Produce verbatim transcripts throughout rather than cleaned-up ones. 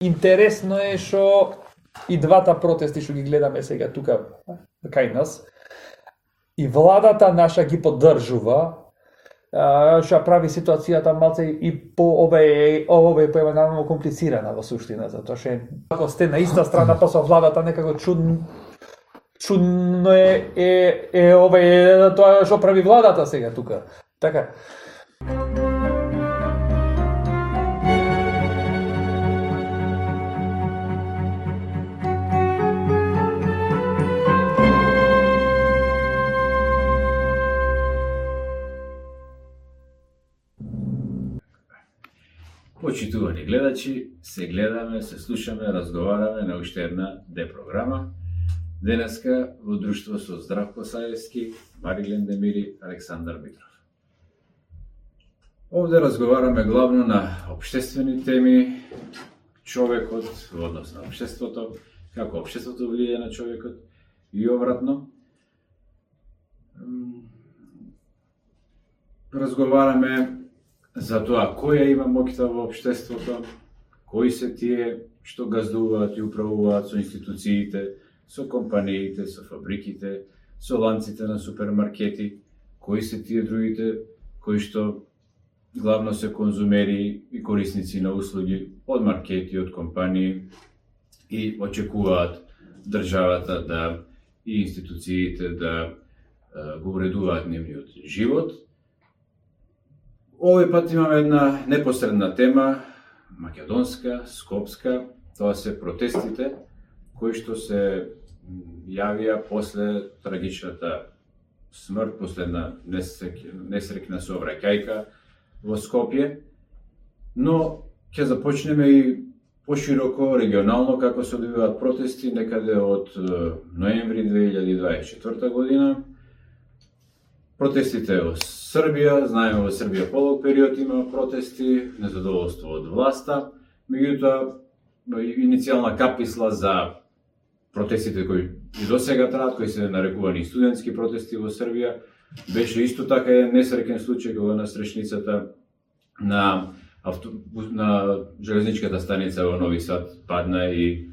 Интересно е што и двата протести што ги гледаме сега тука кај нас, и владата наша ги поддржува, што прави ситуацијата малце и по ове ове поемано комплицирана во суштина, затоа што ако сте на иста страна па со владата некако чудно чудно е е е ове тоа што прави владата сега тука. Така. Почитувани гледачи, се гледаме, се слушаме, разговараме на уште една Д-програма. Денеска во друштво со Здравко Саевски, Марилен Демири, Александар Митров. Овде разговараме главно на општествени теми, човекот во однос на општеството, како општеството влијае на човекот и обратно. Разговараме за тоа која има моќта во општеството, кои се тие што газдуваат и управуваат со институциите, со компаниите, со фабриките, со ланците на супермаркети, кои се тие другите кои што главно се конзумери и корисници на услуги од маркети, од компании и очекуваат државата да и институциите да го уредуваат нивниот живот. Овој пат имаме една непосредна тема, македонска, скопска, тоа се протестите кои што се јавија после трагичната смрт, после една несрекна сообраќајка во Скопје, но ќе започнеме и пошироко, регионално, како се одвиваат протести некаде од ноември две илјади дваесет и четврта година. Протестите во Србија, знаеме во Србија полог период има протести, незадоволство од власта, меѓутоа иницијална каписла за протестите кои и досега траат, кои се нарекувани студентски протести во Србија, беше исто така еден несреќен случај кога на стречницата на, авто... на железничката станица во Нови Сад падна и е,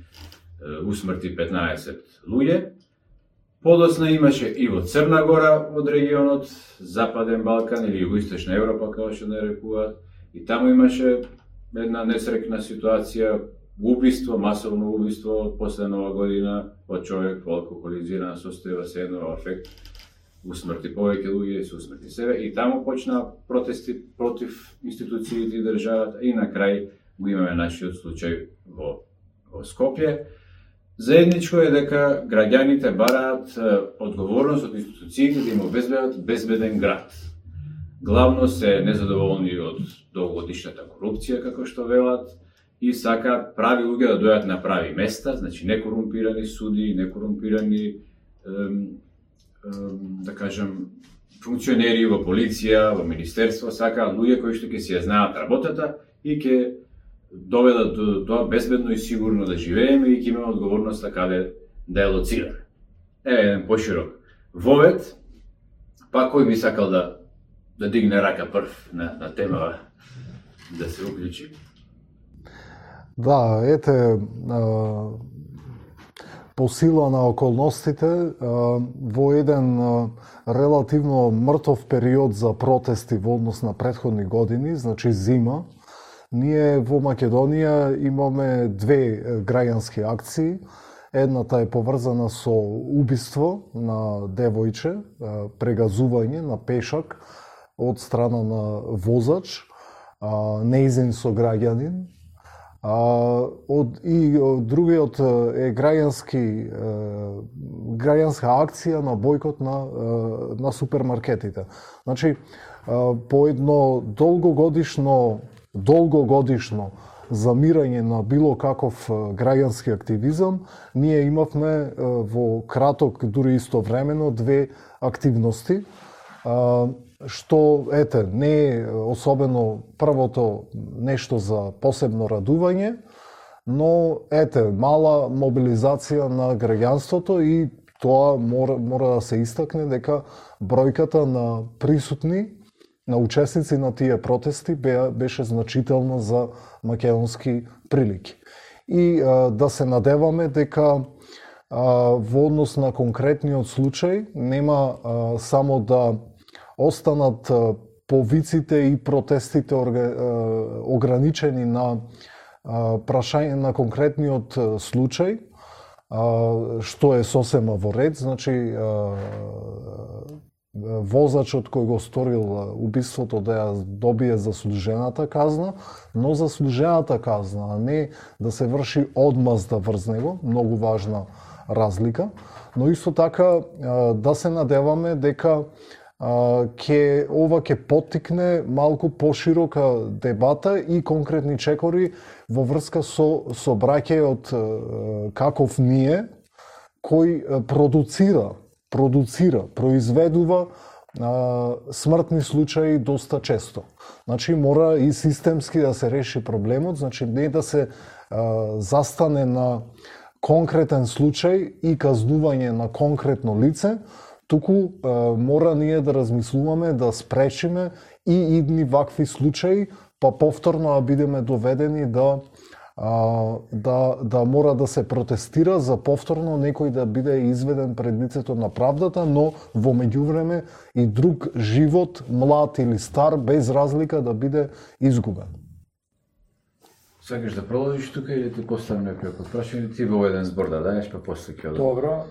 усмрти петнаесет луѓе. Подоцна имаше и во Црна Гора од регионот, Западен Балкан или Југоисточна Европа, како што нарекуваат, и таму имаше една несреќна ситуација, убиство, масовно убиство после Нова година од човек во алкохолизирана состојба, се едно афект, усмрти повеќе луѓе и се усмрти себе, и таму почна протести против институциите и државата, и на крај го имаме нашиот случај во, во Скопје. Заедничко е дека граѓаните бараат одговорност од институциите да им обезбедат безбеден град. Главно се незадоволни од долгогодишната корупција, како што велат, и сакаат прави луѓе да дојдат на прави места, значи некорумпирани суди, некорумпирани, ем, ем, да кажем, функционери во полиција, во министерство, сакаат луѓе кои што ќе си ја знаат работата и ќе доведат до тоа безбедно и сигурно да живееме и ќе имаме одговорноста каде да ја лоцираме. Еве еден поширок вовед, па кој би сакал да да дигне рака прв на, на тема да се уклучи? Да, ете, по сила на околностите, во еден релативно мртов период за протести во однос на претходни години, значи зима, ние во Македонија имаме две граѓански акции. Едната е поврзана со убиство на девојче, прегазување на пешак од страна на возач, неизин сограѓанин. Од, и другиот е граѓански граѓанска акција на бојкот на, на супермаркетите. Значи, по едно долгогодишно долгогодишно замирање на било каков граѓански активизам, ние имавме во краток, дури истовремено, две активности, што, ете, не е особено првото нешто за посебно радување, но, ете, мала мобилизација на граѓанството и тоа мора, мора да се истакне дека бројката на присутни, на учесници на тие протести беше значителна за македонски прилики. и а, да се надеваме дека а, во однос на конкретниот случај нема а, само да останат а, повиците и протестите орга, а, ограничени на а, прашање на конкретниот случај, а, што е сосема во ред, значи а, возачот кој го сторил убиството да ја добие заслужената казна, но заслужената казна, а не да се врши одмазда врз него, многу важна разлика. Но исто така да се надеваме дека ќе ова ќе поттикне малку поширока дебата и конкретни чекори во врска со со браќајот каков ние, кој продуцира продуцира, произведува а, смртни случаи доста често. Значи мора и системски да се реши проблемот, значи не да се а, застане на конкретен случај и казнување на конкретно лице, туку а, мора ние да размислуваме да спречиме и идни вакви случаи, па повторно да бидеме доведени да А, да, да мора да се протестира за повторно некој да биде изведен пред лицето на правдата, но во меѓувреме и друг живот, млад или стар, без разлика да биде изгубен. Сакаш да продолжиш тука или ти поставам некој прашање, ти во еден збор да даеш, па после ќе одам. Добро,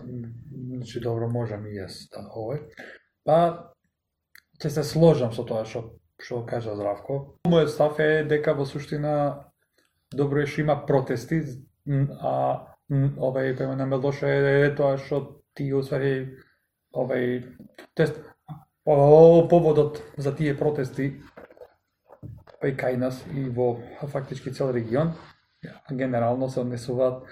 значи добро можам и јас да овој. Па ќе се сложам со тоа што што кажа Здравко. Мојот став е дека во суштина добро е што има протести, а овај кој ме лоше е тоа што ти усвари овај тест поводот за тие протести па и кај нас и во фактички цел регион генерално се однесуваат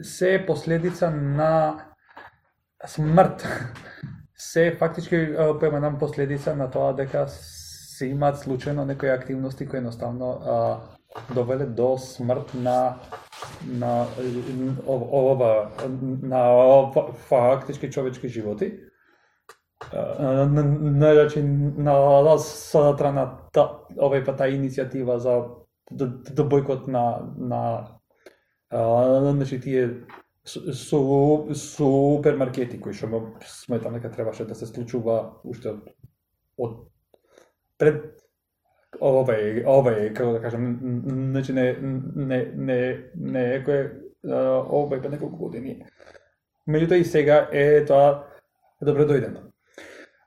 се последица на смрт, се фактички поменам последица на тоа дека се имаат случајно некои активности кои едноставно а, довеле до смрт на на ова на фактички човечки животи. Значи на страна овај па таа иницијатива за да бойкот на на значи тие супермаркети кои што сметам дека требаше да се случува уште од пред овај овај како да кажам, значи не не не не е кој овај па неколку години. Меѓутоа и сега е тоа добро дојдено.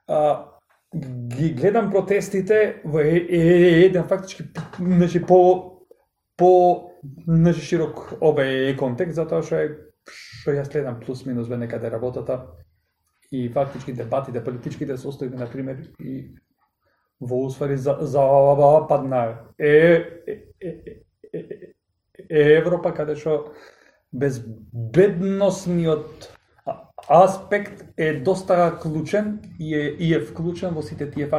А, ги гледам протестите во еден фактички значи по по значи широк овај контекст, затоа што е што јас следам плюс минус ве некаде работата и фактички дебатите политичките состојби на пример и во усвари за западна е, е, е, е, е Европа, каде што безбедносниот аспект е доста клучен и е, и е вклучен во сите тие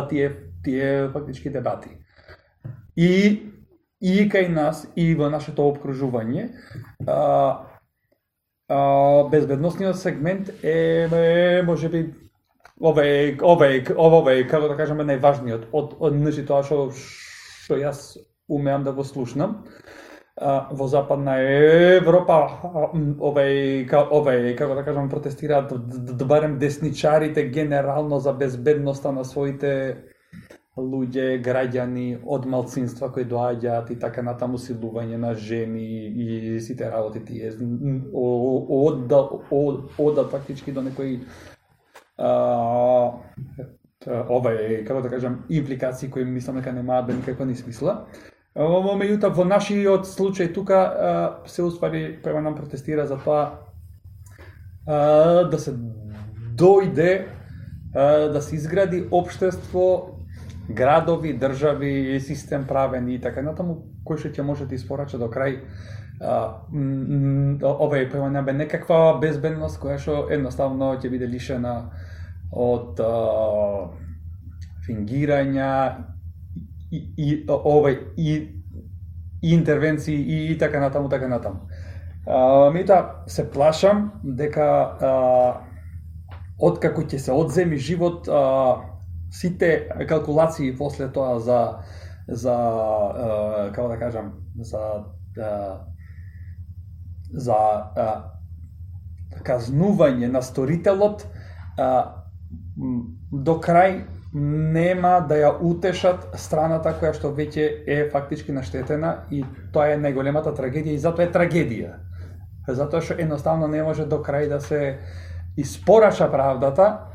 тие тие фактички дебати. И и кај нас и во нашето опкружување а, а, безбедносниот сегмент е, е можеби Овај, овај, овај, како да кажеме, најважниот од, од значи тоа што што јас умеам да го слушнам. А, во Западна Европа овај, овај, како да кажам, протестираат да барем десничарите генерално за безбедноста на своите луѓе, граѓани од малцинства кои доаѓаат и така натаму, силување на жени и сите работи тие од од фактички до некои Uh, овај, како да кажам, импликации кои мислам дека немаат да никаква ни смисла. Во меѓутоа во нашиот случај тука uh, се уствари према нам протестира за тоа uh, да се дојде uh, да се изгради општество, градови, држави, систем правен и така натаму, кој што ќе може да испорача до крај Uh, овај према бе некаква безбедност која што едноставно ќе биде лишена од uh, фингирања и, и овај и, и интервенции и, и така натаму, така натаму. Uh, Мета се плашам дека uh, откако ќе се одземи живот, uh, сите калкулации после тоа за за uh, како да кажам, за а, за а, казнување на сторителот а, до крај нема да ја утешат страната која што веќе е фактички наштетена, и тоа е најголемата трагедија, и затоа е трагедија. Затоа што едноставно не може до крај да се испораша правдата,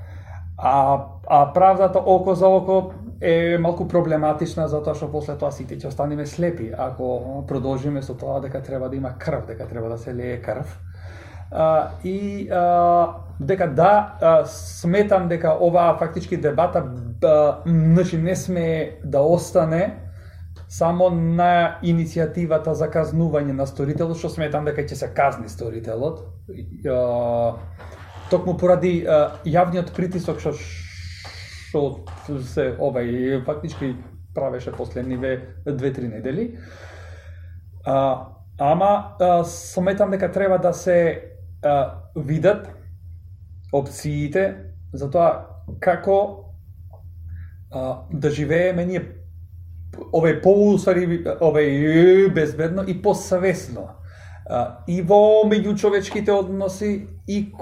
а, а правдата око за око е малку проблематична, затоа што после тоа сите ќе останеме слепи ако продолжиме со тоа дека треба да има крв, дека треба да се лее крв. Uh, и uh, дека да, uh, сметам дека оваа фактички дебата uh, значи не сме да остане само на иницијативата за казнување на сторителот, што сметам дека ќе се казни сторителот. Uh, токму поради uh, јавниот притисок што што се овај фактички правеше последниве две-три недели. Uh, ама uh, сметам дека треба да се Uh, видат опциите за тоа како uh, да живееме ние овај поусвари овај безбедно и посвесно uh, и во меѓучовечките односи, и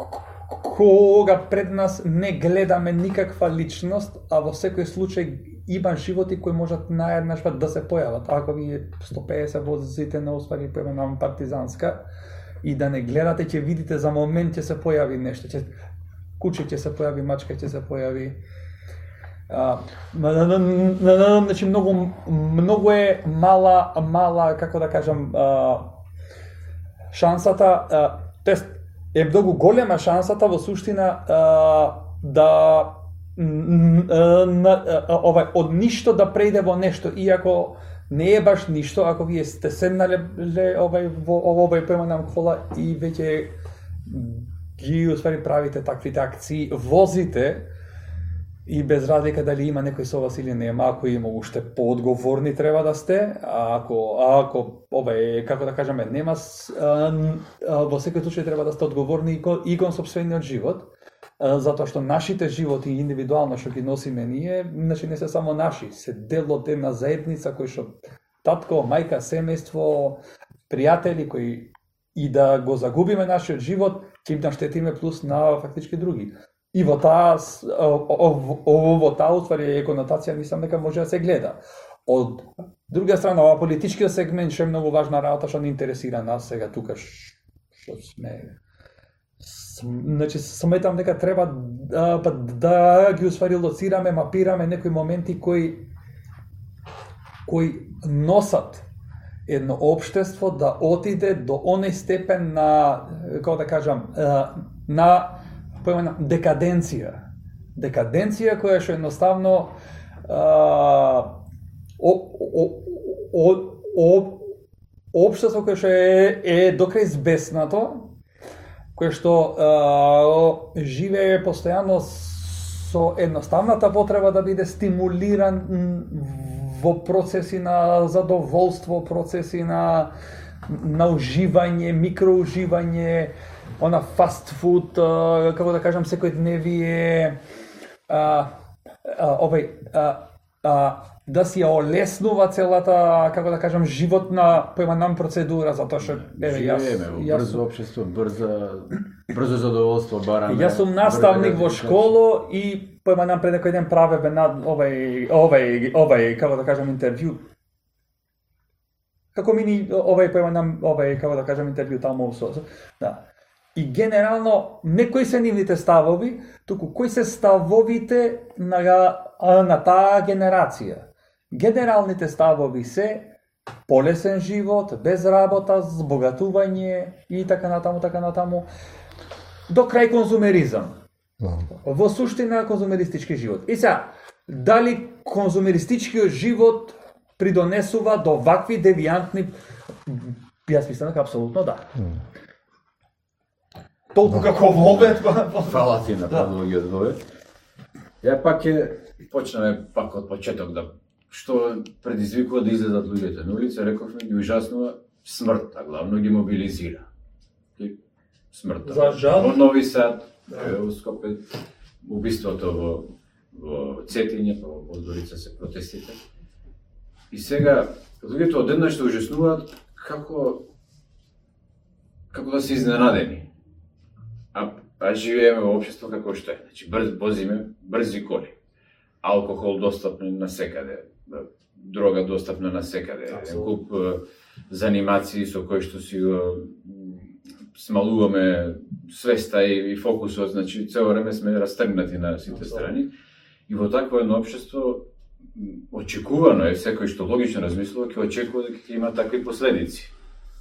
кога пред нас не гледаме никаква личност, а во секој случај има животи кои можат наеднаш да се појават. Ако ви сто педесет возите на уствари премена партизанска и да не гледате, ќе видите за момент ќе се појави нешто, ќе куче ќе се појави, мачка ќе се појави. А, значи многу многу е мала мала како да кажам а, шансата, а, тест е многу голема шансата во суштина а, да ова од ништо да прејде во нешто, иако не е баш ништо, ако вие сте седнале овај во овој преманам кола и веќе ги уствари правите таквите акции, возите, и без разлика дали има некој со вас или нема, ако има уште поодговорни треба да сте, а ако ако овај како да кажеме нема, а, а, во секој случај треба да сте одговорни и кон, и кон сопствениот живот, а, затоа што нашите животи индивидуално што ги носиме ние, значи не се само наши, се дел од една заедница кој што татко, мајка, семејство, пријатели кои и да го загубиме нашиот живот, ќе им наштетиме плюс на фактички други. И во таа во таа уствари е конотација, мислам дека може да се гледа. Од друга страна, ова политичкиот сегмент што е многу важна работа што не интересира нас сега тука што сме. Значи сметам дека треба да, да ги уствари лоцираме, мапираме некои моменти кои кои носат едно општество да отиде до оној степен на, како да кажам, на појмена декаденција. Декаденција која што едноставно а, о, о, о, о, општество кое што е, е докрај збеснато, кое што а, живее постојано со едноставната потреба да биде стимулиран во процеси на задоволство, процеси на, на уживање, микроуживање, она фастфуд, како да кажам, секојдневие, овај, да си ја олеснува целата, како да кажам, животна појманам процедура, затоа што еве јас живееме во брзо општество, брзо брзо задоволство бараме. Јас сум наставник во школо и појманам пред некој ден правеве на овај овај овај како да кажам интервју. Како мини овај појманам овај како да кажам интервју таму со да. И генерално не кои се нивните ставови, туку кои се ставовите на на таа генерација. Генералните ставови се полесен живот, без работа, збогатување и така натаму, така натаму, до крај конзумеризам. No. Во суштина конзумеристички живот. И сега, дали конзумеристичкиот живот придонесува до вакви девијантни? Јас мислам дека апсолутно да. Mm. Толку no. како вове. Фала ти на предлогот вове. Ја пак ќе почнеме пак од почеток да што предизвикува да излезат луѓето на улица, рековме ги ужаснува смртта, главно ги мобилизира. И смртта. За жал. Во Нови Сад, во Скопје, убиството во во Цетиње, па во Подгорица се протестите. И сега луѓето одеднаш се ужаснуваат како како да се изненадени. А, а живееме во општество како што е. Значи брз возиме брзи коли. Алкохол достапен на секаде, дрога достапна на секаде, куп занимации со кои што си го смалуваме свеста и, и фокусот, значи цело време сме растргнати на сите страни. И во такво едно општество очекувано е секој што логично размислува ќе очекува дека ќе има такви последици.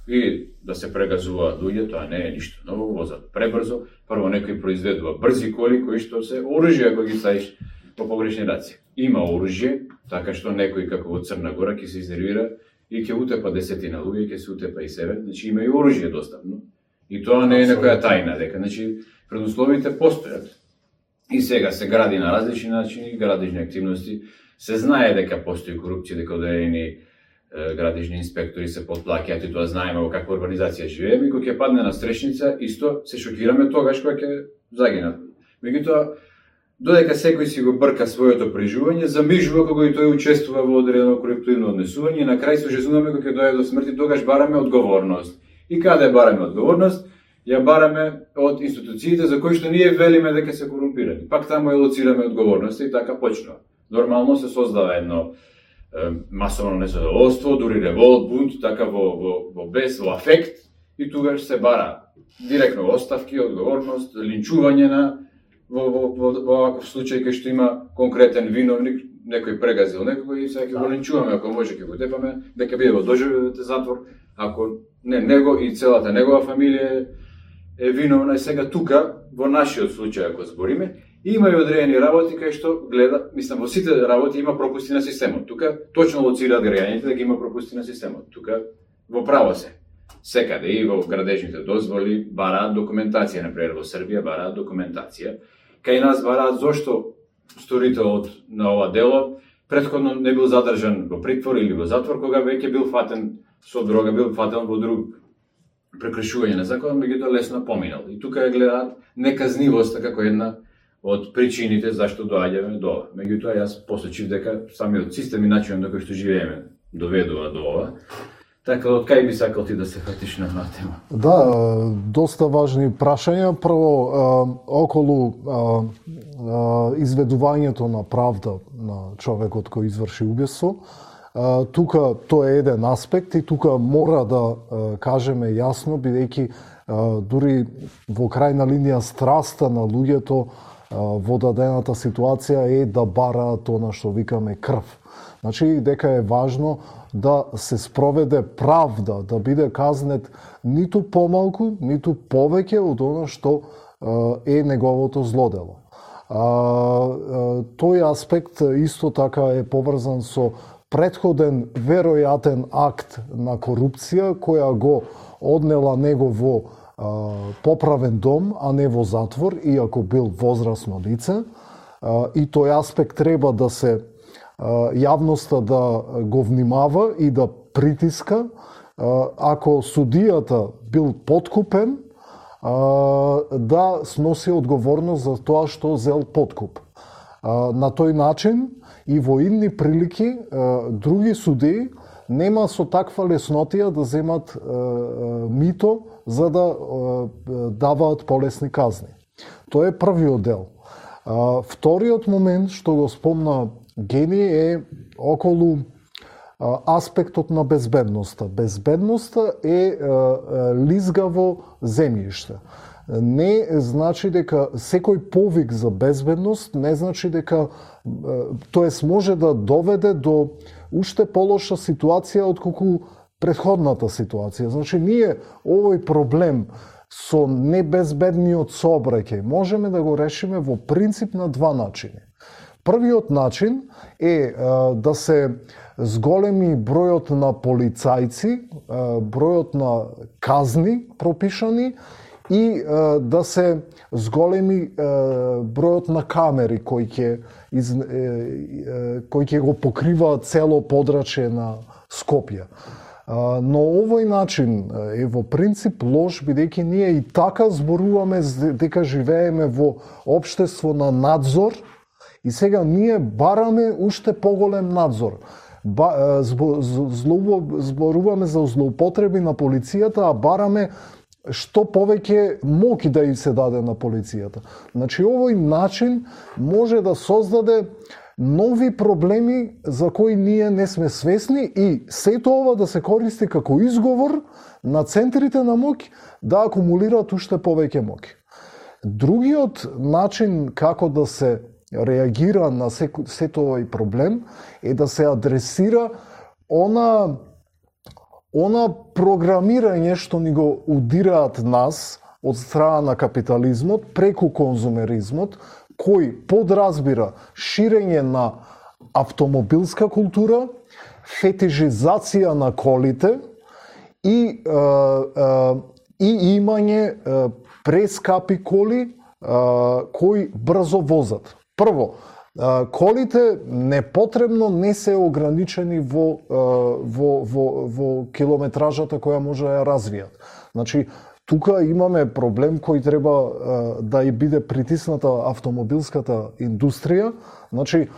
И да се прегазуваат луѓе, тоа не е ништо ново, возат пребрзо, прво некој произведува брзи коли кои што се оружје ако ги ставиш по погрешни раци. Има оружје, така што некој како во Црна Гора ќе се изнервира и ќе утепа десетина луѓе, ќе се утепа и себе, значи има и оружје достапно. И тоа не е некоја тајна дека, значи предусловите постојат. И сега се гради на различни начини, градижни активности, се знае дека постои корупција, дека одредени градижни инспектори се потплаќаат и тоа знаеме во каква организација живееме, и кога ќе падне на стрешница, исто се шокираме тогаш кога ќе загинат. Меѓутоа, додека секој си го брка своето преживување, замижува кога и тој учествува во одредено корупtivно однесување и на крај се жезунаме кога ќе дојде до смрт и тогаш бараме одговорност. И каде бараме одговорност? Ја бараме од институциите за кои што ние велиме дека се корумпирани. Пак таму ја лоцираме одговорноста и така почнува. Нормално се создава едно е, масовно незадоволство, дури револт, бунт, така во, во, во бес, во афект, и тогаш се бара директно оставки, одговорност, линчување на во, во, во, во оваков случај кај што има конкретен виновник, некој прегазил некој и сега ќе го линчуваме, ако може ќе го тепаме, дека биде во доживотен затвор, ако не него и целата негова фамилија е виновна. И сега тука, во нашиот случај, ако збориме, има и одредени работи кај што гледа, мислам, во сите работи има пропусти на системот. Тука точно лоцираат граѓаните дека има пропусти на системот. Тука во право се. Секаде и во градежните дозволи бараат документација, например во Србија бараат документација. Кај нас бараат зошто сторителот на ова дело претходно не бил задржан во притвор или во затвор, кога веќе бил фатен со дрога, бил фатен во друг прекршување на закон, меѓутоа лесно поминал. И тука ја гледаат неказнивоста како една од причините зашто доаѓаме до ова. Меѓутоа јас посочив дека самиот систем и начинот на кој што живееме доведува до ова. Така, од кај би сакал ти да се фатиш на една тема? Да, доста важни прашања. Прво, околу изведувањето на правда на човекот кој изврши убиство. Тука тоа е еден аспект и тука мора да кажеме јасно, бидејќи дури во крајна линија страста на луѓето во дадената ситуација е да бараат она што викаме крв. Значи, дека е важно да се спроведе правда, да биде казнет ниту помалку, ниту повеќе од она што е неговото злодело. Тој аспект исто така е поврзан со претходен веројатен акт на корупција која го однела него во поправен дом, а не во затвор, иако бил возрасно лице. И тој аспект треба да се јавноста да го внимава и да притиска. Ако судијата бил подкупен, да сноси одговорност за тоа што зел подкуп. На тој начин и во идни прилики други судии нема со таква леснотија да земат мито за да даваат полесни казни. Тоа е првиот дел. Вториот момент што го спомна Гени е околу аспектот на безбедноста. Безбедноста е лизгаво земјиште. Не значи дека секој повик за безбедност не значи дека, тоест може да доведе до уште полоша ситуација отколку претходната ситуација. Значи ние овој проблем со небезбедниот сообраќај можеме да го решиме во принцип на два начини. Првиот начин е да се зголеми бројот на полицајци, бројот на казни пропишани и да се зголеми бројот на камери кои ќе из, кои ќе го покрива цело подрачје на Скопје. Но овој начин е во принцип лош, бидејќи ние и така зборуваме дека живееме во општество на надзор и сега ние бараме уште поголем надзор. ба, збо, злоу, зборуваме за злоупотреби на полицијата, а бараме што повеќе моки да им се даде на полицијата. Значи, овој начин може да создаде нови проблеми за кои ние не сме свесни и сето ова да се користи како изговор на центрите на моќ да акумулираат уште повеќе моќ. Другиот начин како да се реагира на сето овој проблем е да се адресира она она програмирање што ни го удираат нас од страна на капитализмот преку конзумеризмот, кој подразбира ширење на автомобилска култура, фетишизација на колите и, е, е, и имање е, прескапи коли е, кои брзо возат. Прво, е, колите непотребно не се ограничени во, е, во, во, во километражата која може да ја развијат. Значи, тука имаме проблем кој треба е, да и биде притисната автомобилската индустрија. Значи,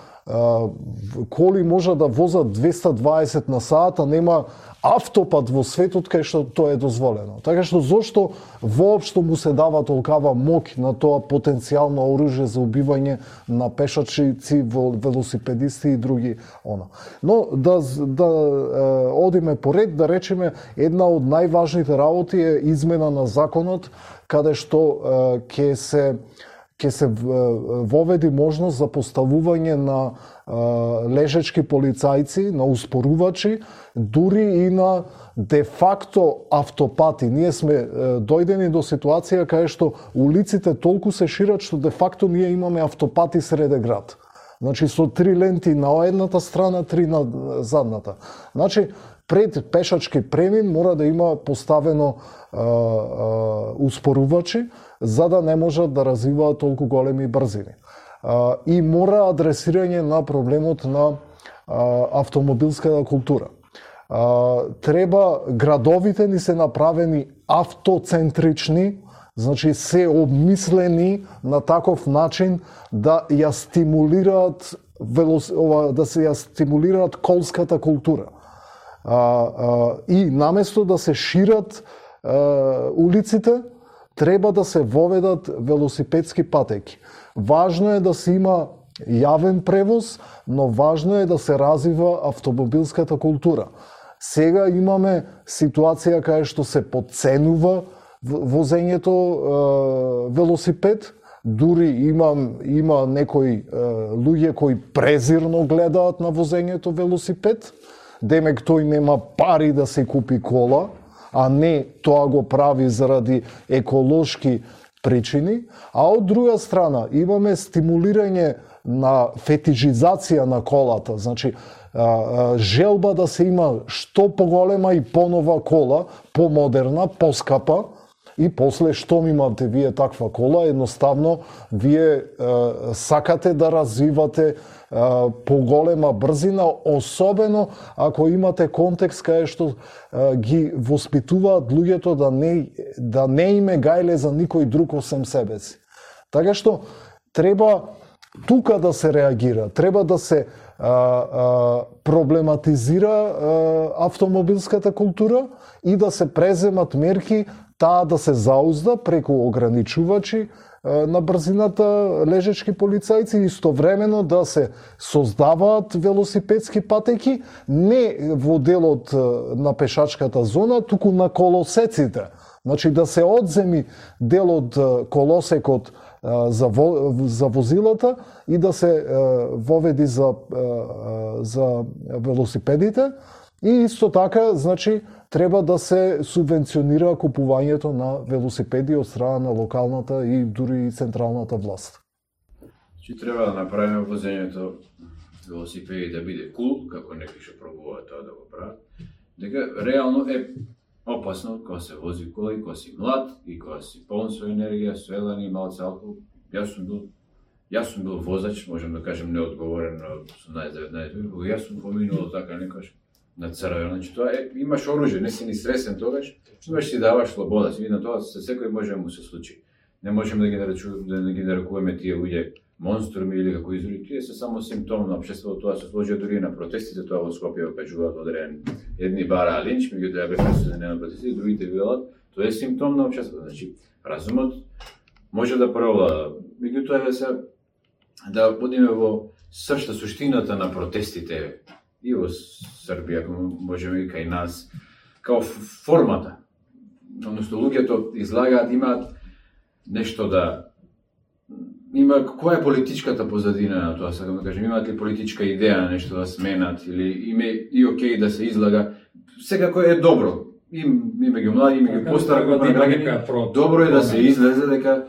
коли може да возат двеста дваесет на сат, а нема автопат во светот кај што тоа е дозволено. Така што зошто воопшто му се дава толкава моќ на тоа потенцијално оружје за убивање на пешачици, велосипедисти и други она. Но да да е, одиме поред, да речеме, една од најважните работи е измена на законот каде што ќе се ќе се воведи можност за поставување на лежечки полицајци, на успорувачи, дури и на де-факто автопати. Ние сме дојдени до ситуација каде што улиците толку се шират што де-факто ние имаме автопати среде град. Значи со три ленти на едната страна, три на задната. Значи пред пешачки премин мора да има поставено а, а, успорувачи за да не можат да развиваат толку големи брзини. А, и мора адресирање на проблемот на а, автомобилската култура. А, треба градовите ни се направени автоцентрични, значи се обмислени на таков начин да ја стимулираат велос... да се ја стимулираат колската култура. А, а, и наместо да се шират а, улиците, треба да се воведат велосипедски патеки. Важно е да се има јавен превоз, но важно е да се развива автомобилската култура. Сега имаме ситуација кај што се подценува возењето е, велосипед, дури има, има некои е, луѓе кои презирно гледаат на возењето велосипед, демек тој нема пари да се купи кола, а не тоа го прави заради еколошки причини, а од друга страна имаме стимулирање на фетишизација на колата, значи желба да се има што поголема и понова кола, помодерна, поскапа, и после штом имате вие таква кола, едноставно вие е, сакате да развивате е, поголема брзина, особено ако имате контекст кај што е, ги воспитуваат луѓето да не, да не име гајле за никој друг осем себе си. Така што треба тука да се реагира, треба да се а, а, проблематизира а, автомобилската култура и да се преземат мерки таа да се заузда преку ограничувачи а, на брзината лежечки полицајци и истовремено да се создаваат велосипедски патеки не во делот на пешачката зона, туку на колосеците. Значи да се одземи дел од колосекот за, во, за возилата и да се воведи за, за велосипедите. И исто така, значи, треба да се субвенционира купувањето на велосипеди од страна на локалната и дури и централната власт. Значи треба да направиме возењето велосипеди да биде кул, како некои што пробуваат тоа да го прават. Дека реално е опасно кога се вози кола и кога си млад и кога си полн со енергија, со елан и малце алкохол. Јас сум бил, јас сум бил возач, можам да кажем неодговорен на осумнаесет-деветнаесет години, кога јас сум поминувал така некош на црвено. Значи тоа е, имаш оружје, не си ни свесен тогаш, имаш си даваш слобода, си видно тоа се секој може да му се случи. Не можеме да ги наречуваме, да ги нарекуваме тие луѓе монструми или како изрази, тие се само симптом на општеството, тоа се сложи дури на протестите, тоа во Скопје кажуваат одреден едни бара линч, меѓутоа беа присутни на протестите, другите велат, тоа е симптом на општеството. Значи, разумот може да преовлада. Меѓутоа се да одиме во сршта, суштината на протестите и во Србија, можеме и кај нас, као формата. Односно, луѓето излагаат, имаат нешто да има, која е политичката позадина на тоа, сакам да кажем, имаат ли политичка идеја нешто да сменат или име и окей да се излага, секако е добро. Им има ги млади, има ги постара група на граѓани, добро е да се излезе дека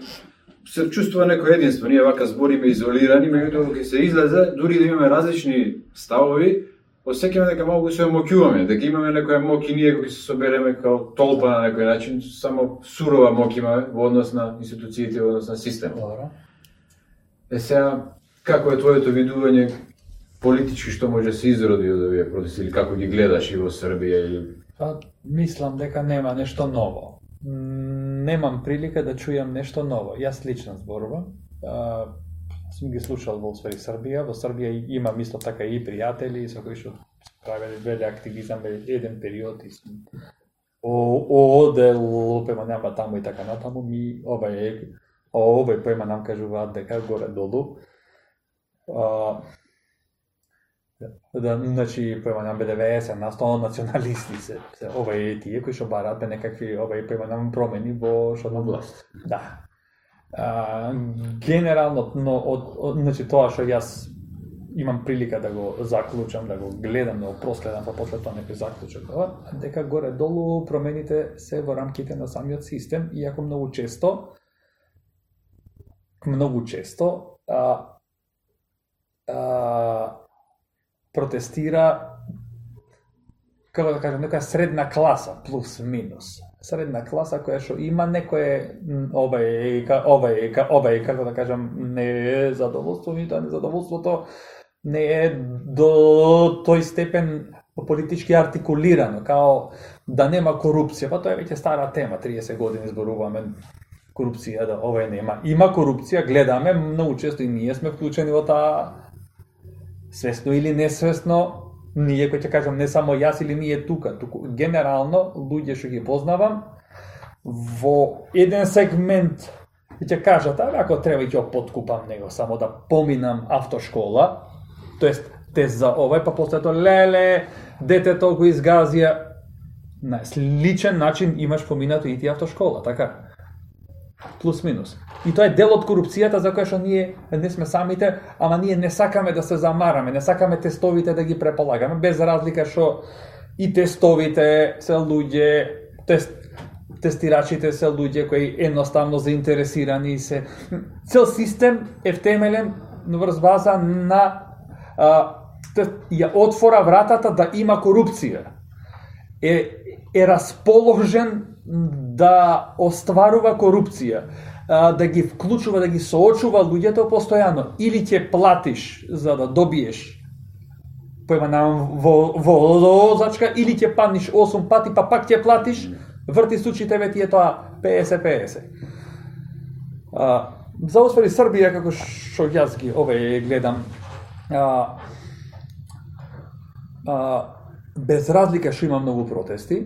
се чувствува некој единство, ние вака збориме изолирани, меѓутоа кога се излезе, дури да имаме различни ставови, осеќаме дека малку се омоќуваме, дека имаме некоја моќ и ние кога се собереме као толпа на некој начин, само сурова моќ имаме во однос на институциите, во однос на системот. Добро. Е сега, како е твоето видување политички што може да се изроди од овие протести или како ги гледаш и во Србија или Па, мислам дека нема нешто ново. Немам прилика да чујам нешто ново. Јас лично зборувам. А, сум ги слушал во Освари Србија. Во Србија имам исто така и пријатели со кои што правеле веле активизам еден период и сум одел пема нама таму и така натаму. Ми овај овај пема нам кажуваат дека горе долу. А, да, значи, појманам бе деветдесет на сто националисти се, се овај тие кои што бараат бе некакви овај појманам промени во што на власт. Да. А, генерално, но од, од значи тоа што јас имам прилика да го заклучам, да го гледам, да го проследам, па после тоа некој заклучок, дека горе долу промените се во рамките на самиот систем, иако многу често многу често а, а, протестира, како да кажам, некоја средна класа, плюс минус. Средна класа која што има некое овај овај овај како да кажам не е задоволство, и тоа незадоволството не е до тој степен политички артикулирано, као да нема корупција, па тоа е веќе стара тема, триесет години зборуваме корупција, да овај нема. Има корупција, гледаме, многу често и ние сме вклучени во таа, свесно или несвесно, ние кој ќе кажам не само јас или ние тука, туку генерално луѓе што ги познавам во еден сегмент ќе кажат, а ако треба ќе подкупам него само да поминам автошкола, тоест тест за овај, па после тоа леле детето го изгазија. На сличен начин имаш поминато и ти автошкола, така? Плюс минус. И тоа е дел од корупцијата за која што ние не сме самите, ама ние не сакаме да се замараме, не сакаме тестовите да ги преполагаме, без разлика што и тестовите се луѓе, тест, тестирачите се луѓе кои едноставно заинтересирани се. Цел систем е втемелен врз база на а, ја отвора вратата да има корупција. Е, е расположен да остварува корупција, да ги вклучува, да ги соочува луѓето постојано. Или ќе платиш за да добиеш појманам во возачка, или ќе паднеш осум пати, па пак ќе платиш, врти случаите ве ти е тоа петдесет петдесет. А, за Освари Србија, како што јас ги овај гледам, а, а, без разлика што има многу протести,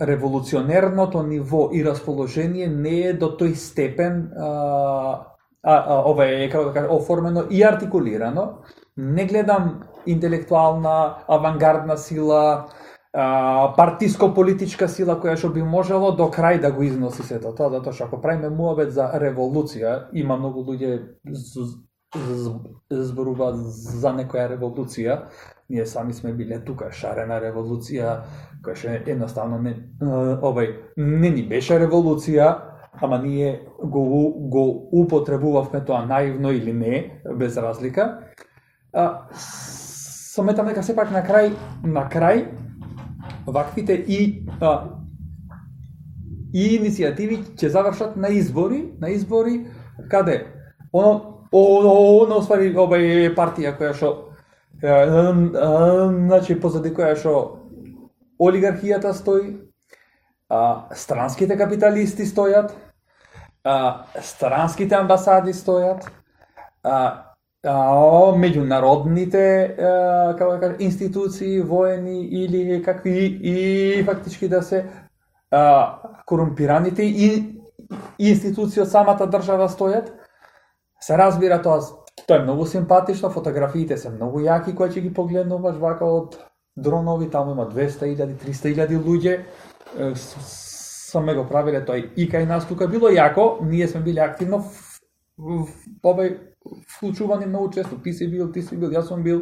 револуционерното ниво и расположение не е до тој степен а, а, а, ова е, како да кажа, оформено и артикулирано. Не гледам интелектуална, авангардна сила, а, партиско-политичка сила која што би можело до крај да го износи сето тоа, затоа што ако правиме муабет за револуција, има многу луѓе зборуваат за некоја револуција. Ние сами сме биле тука, шарена револуција, која што едноставно не, овај, не ни беше револуција, ама ние го, го употребувавме тоа наивно или не, без разлика. А, сметам дека сепак на крај, на крај, ваквите и, а, и иницијативи ќе завршат на избори, на избори, каде? Оно, оно, оствари овај партија која што значи позади која што олигархијата стои, а, странските капиталисти стојат, а, странските амбасади стојат, а, а, меѓународните а, како да кажа, институции, воени или какви и фактички да се а, корумпираните и институции од самата држава стојат. Се разбира тоа, тоа е многу симпатично, фотографиите се многу јаки кои ќе ги погледнуваш вака од дронови, таму има двеста илјади, триста илјади луѓе. Сме го правиле тој и кај нас тука било јако, ние сме били активно овај вклучувани многу често, ти си бил, ти си бил, јас сум бил.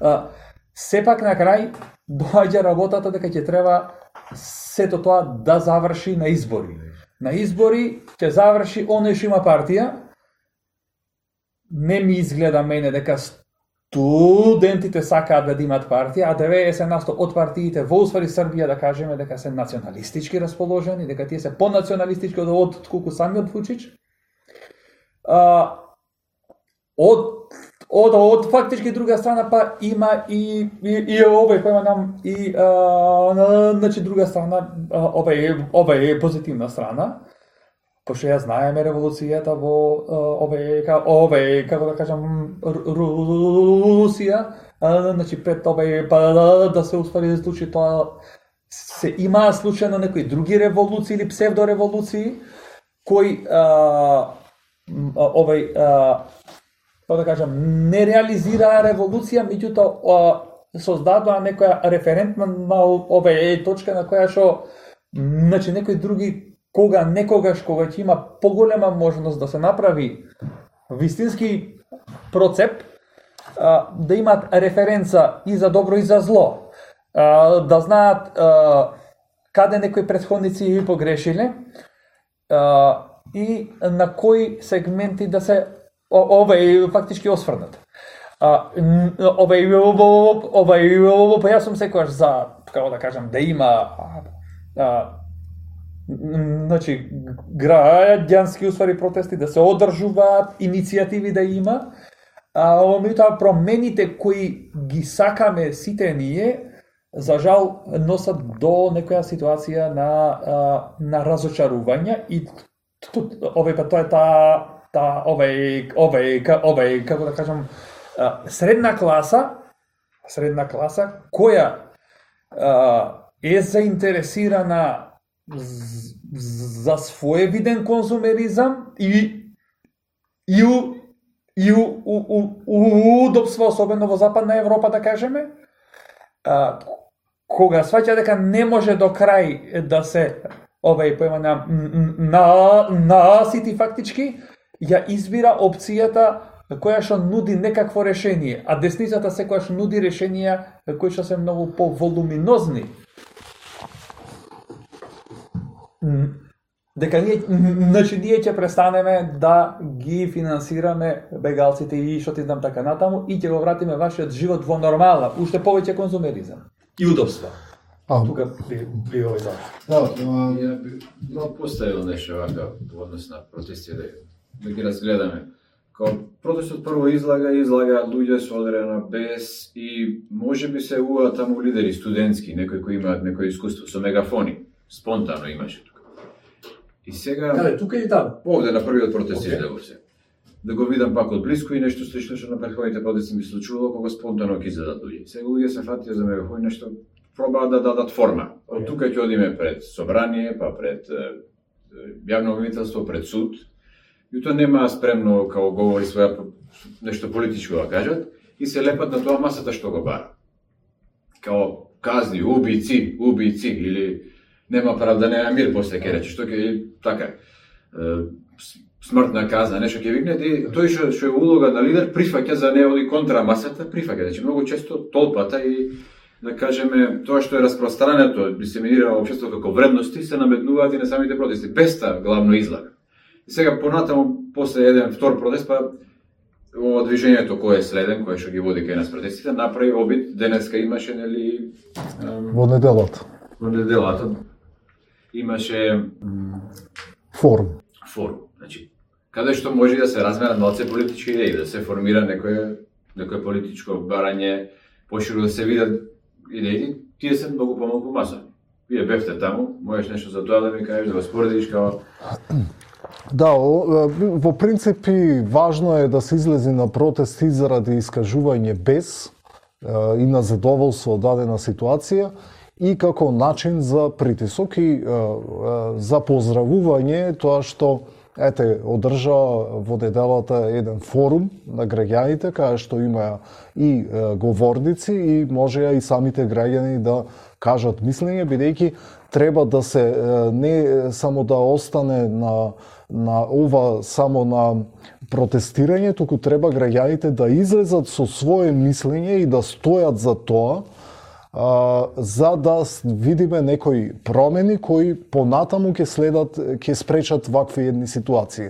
А, сепак на крај доаѓа работата дека ќе треба сето тоа да заврши на избори. На избори ќе заврши оној што има партија. Не ми изгледа мене дека студентите сакаат да имат партија, а деветдесет на сто од партиите во уствари Србија да кажеме дека се националистички расположени, дека тие се понационалистички од отколку самиот Вучич. А, од од од фактички друга страна па има и и, и овој кој нам и а, значи друга страна овој овој позитивна страна. Пошто ја знаеме револуцијата во овој овој како да кажам Русија, значи пред овој па да се успели да случи тоа, се имаа случајно некои други револуции или псевдореволуции кои овој како да кажам не реализираа револуција, меѓутоа создадоа некоја референтна на овој точка на која што значи некои други кога некогаш кога ќе има поголема можност да се направи вистински процеп, да имаат референца и за добро и за зло, да знаат каде некои претходници погрешиле и на кои сегменти да се овај фактички осврнат. Овај овај па јас сум секогаш за, како да кажам, да има значи граѓански уствари протести да се одржуваат, иницијативи да има, а меѓутоа промените кои ги сакаме сите ние, за жал носат до некоја ситуација на на разочарување и овој па тоа е таа та овај овај овај како да кажам средна класа, средна класа која е заинтересирана за своевиден конзумеризам и и и удобство, особено во Западна Европа, да кажеме, а, кога сваќа дека не може до крај да се овај поема на на насити фактички, ја избира опцијата која што нуди некакво решение, а десницата секогаш нуди решенија кои што се многу поволуминозни. Дека ние, значи ние ќе престанеме да ги финансираме бегалците и што ти знам така натаму и ќе го вратиме вашиот живот во нормала, уште повеќе конзумеризам и удобства. А тука би би овој да. Да, ја би но поставил нешто вака во однос на протести да да ги разгледаме. Као протестот прво излага излага луѓе со одредена бес и можеби се уа таму лидери студентски, некои кои имаат некој искуство со мегафони, спонтано имаше. И сега... Каде, тука и таму? Овде на првиот протест okay. Излегов се. Да го видам пак од близко и нешто слично што на претходните протести ми случувало кога спонтано ќе излезат луѓе. Сега луѓе се фатија за мегафони, нешто пробаат да дадат форма. Од тука ќе одиме пред собрание, па пред јавно обвинителство, пред суд. И тоа нема спремно као говори своја нешто политичко да кажат и се лепат на тоа масата што го бара. Као казни, убици, убици или нема правда, нема мир после ќе рече, што ќе така смртна казна, нешто ќе викне, и тој што што е улога на лидер прифаќа за не оди контра масата, прифаќа, значи многу често толпата и да кажеме тоа што е распространето, дисеминира во општеството како вредности се наметнуваат и на самите протести, без та главно излага. И сега понатаму после еден втор протест па ова движењето кое е следен, кое што ги води кај нас протестите, направи обид, денеска имаше нели во неделата. Во неделата имаше форум. Форум. Значи, каде што може да се разменат малце политички идеи, да се формира некое некое политичко барање, поширо да се видат идеи, тие се многу помалку масови. Вие бевте таму, можеш нешто за тоа да ми кажеш, да го споредиш као Да, во принципи важно е да се излези на протести заради искажување без и на задоволство од дадена ситуација и како начин за притисок и за поздравување тоа што ете одржа во неделата еден форум на граѓаните кај што има и говорници и можеа и самите граѓани да кажат мислење, бидејќи треба да се не само да остане на на ова само на протестирање, туку треба граѓаните да излезат со свое мислење и да стојат за тоа, а, за да видиме некои промени кои понатаму ќе следат, ќе спречат вакви едни ситуации.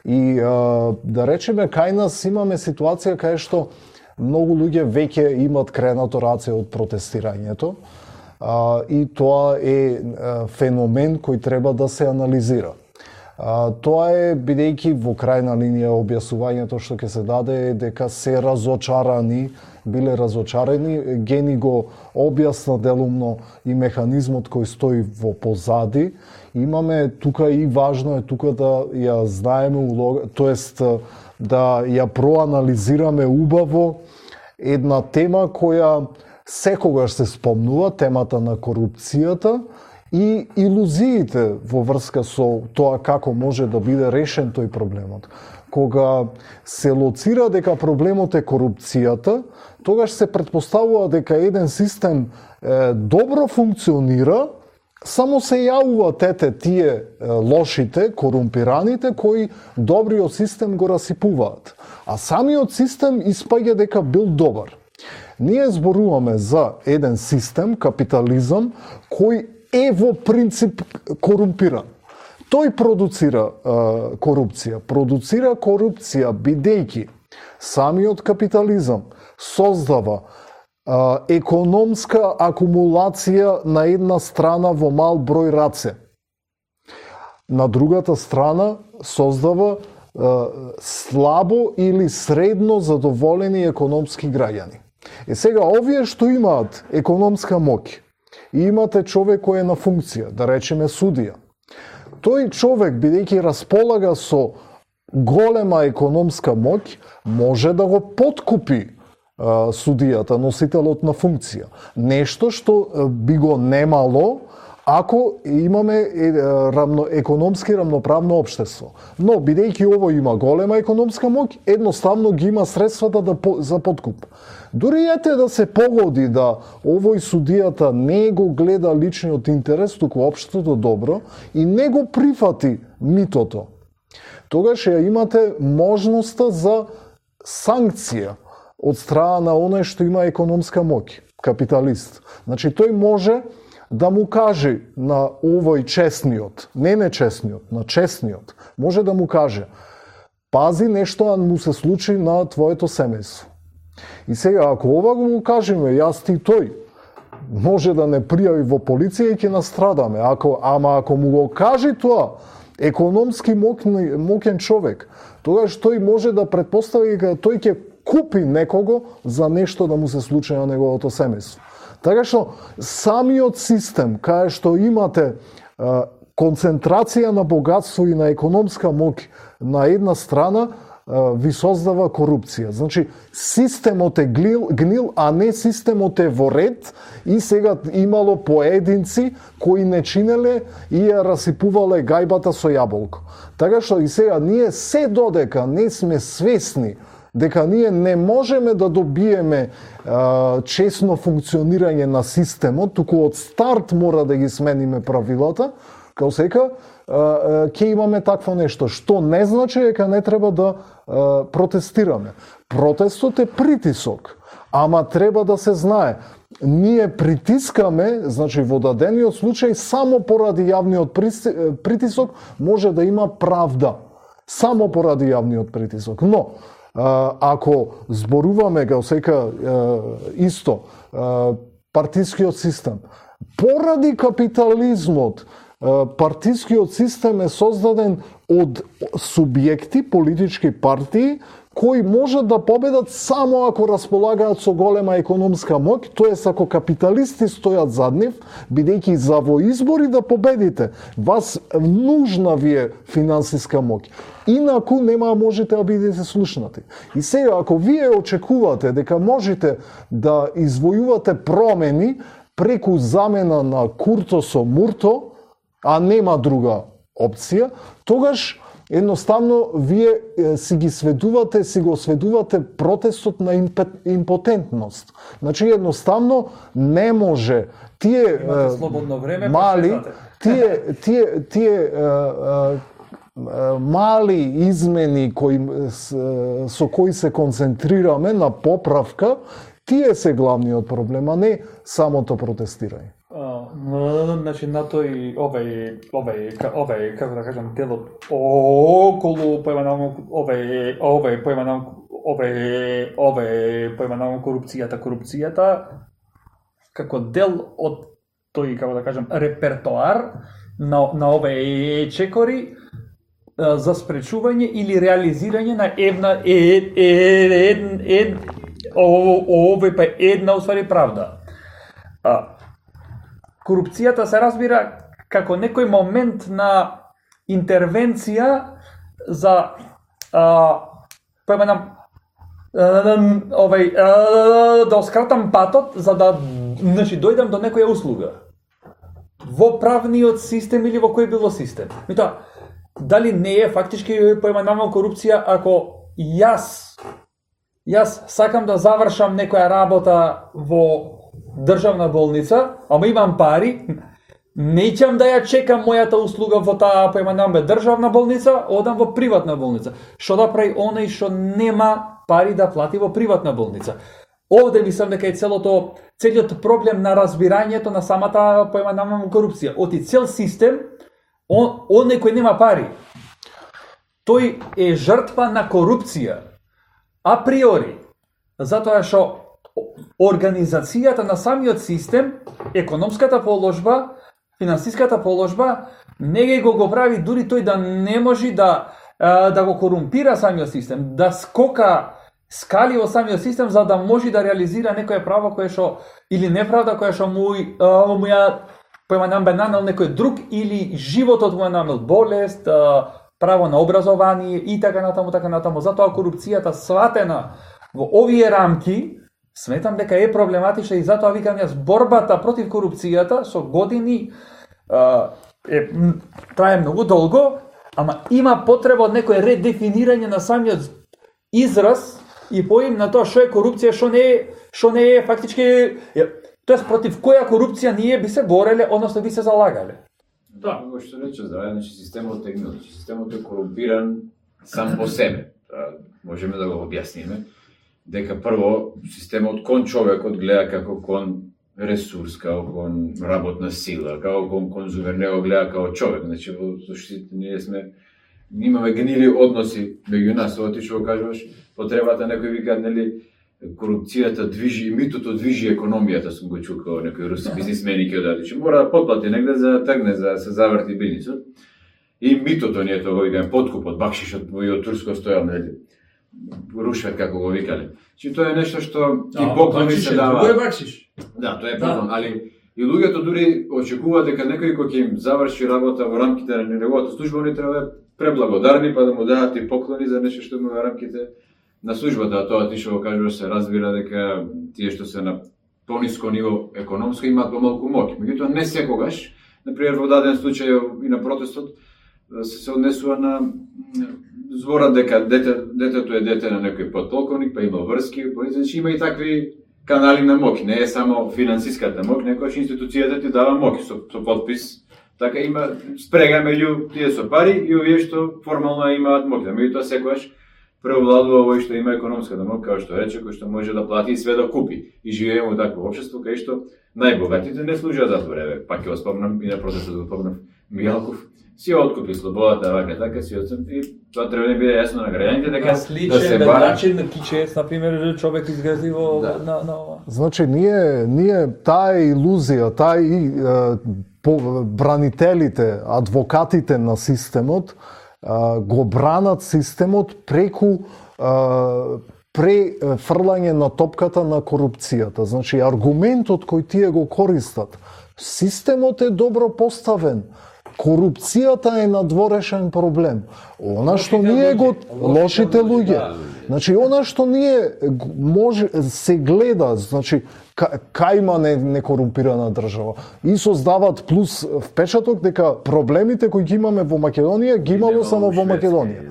И а, да речеме кај нас имаме ситуација кај што многу луѓе веќе имат кренато раце од протестирањето, а, и тоа е а, феномен кој треба да се анализира. А, тоа е бидејќи во крајна линија објаснувањето што ќе се даде е дека се разочарани, биле разочарани, Гени го објасна делумно и механизмот кој стои во позади. Имаме тука и важно е тука да ја знаеме улога, тоест да ја проанализираме убаво една тема која секогаш се спомнува, темата на корупцијата и илузиите во врска со тоа како може да биде решен тој проблемот. Кога се лоцира дека проблемот е корупцијата, тогаш се претпоставува дека еден систем е, добро функционира, само се јавува тете тие е, лошите, корумпираните, кои добриот систем го расипуваат. А самиот систем испаѓа дека бил добар. Ние зборуваме за еден систем, капитализам, кој е во принцип корумпиран. Тој продуцира е, корупција. Продуцира корупција бидејќи самиот капитализам создава е, економска акумулација на една страна во мал број раце. На другата страна создава е, слабо или средно задоволени економски граѓани. Е сега, овие што имаат економска моќ, и имате човек кој е на функција, да речеме судија. Тој човек, бидејќи располага со голема економска моќ, може да го подкупи а, судијата, носителот на функција. Нешто што а, би го немало ако имаме е, рамно, економски рамноправно општество. Но, бидејќи ово има голема економска моќ, едноставно ги има средствата да, за подкуп. Дури ете да се погоди да овој судијата не го гледа личниот интерес, туку општото добро и не го прифати митото, тогаш ја имате можноста за санкција од страна на оној што има економска моќ, капиталист. Значи тој може да му каже на овој честниот, не нечестниот, на честниот, може да му каже: пази, нешто му се случи на твоето семејство. И сега, ако ова го кажеме, јас ти тој, може да не пријави во полиција и ќе настрадаме. Ако, ама ако му го каже тоа, економски моќен, моќен човек, тогаш тој може да претпостави дека тој ќе купи некого за нешто да му се случи на неговото семејство. Така што самиот систем, кај што имате а, концентрација на богатство и на економска моќ на една страна, ви создава корупција. Значи, системот е гнил, гнил, а не системот е во ред и сега имало поединци кои не чинеле и ја расипувале гајбата со јаболко. Така што и сега ние се додека не сме свесни дека ние не можеме да добиеме а, честно функционирање на системот, туку од старт мора да ги смениме правилата, као сека, ќе имаме такво нешто, што не значи дека не треба да а, протестираме. Протестот е притисок, ама треба да се знае. Ние притискаме, значи во дадениот случај, само поради јавниот притисок може да има правда. Само поради јавниот притисок. Но, а, ако зборуваме, као сека, исто, а, партискиот систем, поради капитализмот, партискиот систем е создаден од субјекти, политички партии, кои можат да победат само ако располагаат со голема економска моќ, тоест ако капиталисти стојат зад нив, бидејќи за во избори да победите, вас нужна ви е финансиска моќ. Инаку нема можете да бидете слушнати. И сега, ако вие очекувате дека можете да извојувате промени преку замена на Курто со Мурто, а нема друга опција, тогаш едноставно вие си ги сведувате, си го сведувате протестот на импотентност. Значи едноставно не може тие Имате слободно време, мали тие тие тие мали измени кои со кои се концентрираме на поправка, тие се главниот проблем, а не самото протестирање. Uh, значи на тој овај овај овај како да кажам делот околу појмановно овај овај појмановно овај овај појмановно корупцијата корупцијата како дел од тој како да кажам репертоар на на овај чекори uh, за спречување или реализирање на една е е е овој па една уствари правда. А корупцијата се разбира како некој момент на интервенција за а, појманам овај а, да оскратам патот за да значи дојдам до некоја услуга во правниот систем или во кој било систем. Меѓутоа, дали не е фактички појманам корупција ако јас јас сакам да завршам некоја работа во државна болница, ама имам пари, неќам да ја чекам мојата услуга во таа појманаме државна болница, одам во приватна болница. Што да прави оној што нема пари да плати во приватна болница? Овде мислам дека е целото целиот проблем на разбирањето на самата појманаме корупција. Оти цел систем, он оној кој нема пари, тој е жртва на корупција априори, затоа што организацијата на самиот систем, економската положба, финансиската положба, не ги го го прави дури тој да не може да да го корумпира самиот систем, да скока скали во самиот систем за да може да реализира некое право кое што или неправда која што му му ја појманам бе нанел некој друг или животот му ја нанел болест, право на образование и така натаму, така натаму. Затоа корупцијата сватена во овие рамки сметам дека е проблематична и затоа викам јас борбата против корупцијата со години е трае многу долго, ама има потреба од некој редефинирање на самиот израз и поим на тоа што е корупција, што не е, што не е фактички, тоест против која корупција ние би се бореле, односно би се залагале. Да, како што рече здраве, значи системот е гнил, системот е корумпиран сам по себе. Можеме да го објасниме дека прво системот кон човекот гледа како кон ресурс, како кон работна сила, како кон конзумер, не го гледа како човек. Значи во суштината ние сме имаме гнили односи меѓу нас, ова ти што го кажуваш, потребата некој вика нели корупцијата движи, митото движи економијата, сум го чукал некој руски бизнисмени ќе одади, че мора да потплати негде за да тргне, за да се заврти бизнисот. И митото ние тоа го викаме подкупот, бакшишот и од Турско стоел нели рушвет како го викале. Че тоа е нешто што и поклони се дава. Тоа е бакшиш. Да, тоа е поклон, да. Али и луѓето дури очекуваат дека некој кој ќе им заврши работа во рамките на неговата служба, они треба да преблагодарни па да му дадат и поклони за нешто што има во рамките на службата. Тоа ти што го кажуваш се разбира дека тие што се на пониско ниво економско имаат помалку моќ. Меѓутоа не секогаш, например во даден случај и на протестот се се однесува на зборот дека дете, детето е дете на некој подполковник, па има врски, значи има и такви канали на моќ, не е само финансиската моќ, некојаш институцијата ти дава моќ со, со подпис, така има спрега меѓу тие со пари и овие што формално имаат моќ. Меѓутоа секогаш преовладува овој што има економската моќ, како што рече, кој што може да плати и све да купи. И живееме во такво општество кај што најбогатите не служат за тоа. Пак ќе го спомнам и на протестот го спомнав Мијалков, си откупи слободата, вака така си отсем и тоа треба да биде јасно на граѓаните дека да се бара начин на кичец, на пример, човек изгради во да. на на Значи ние ние таа илузија, таа и е, по, бранителите, адвокатите на системот е, го бранат системот преку е, префрлање на топката на корупцијата. Значи аргументот кој тие го користат, системот е добро поставен. Корупцијата е надворешен проблем. Она што ние го лошите луѓе. Значи она што ние може се гледа, значи кај има не, некорумпирана држава и создават плюс впечаток дека проблемите кои ги имаме во Македонија ги имало само во Македонија.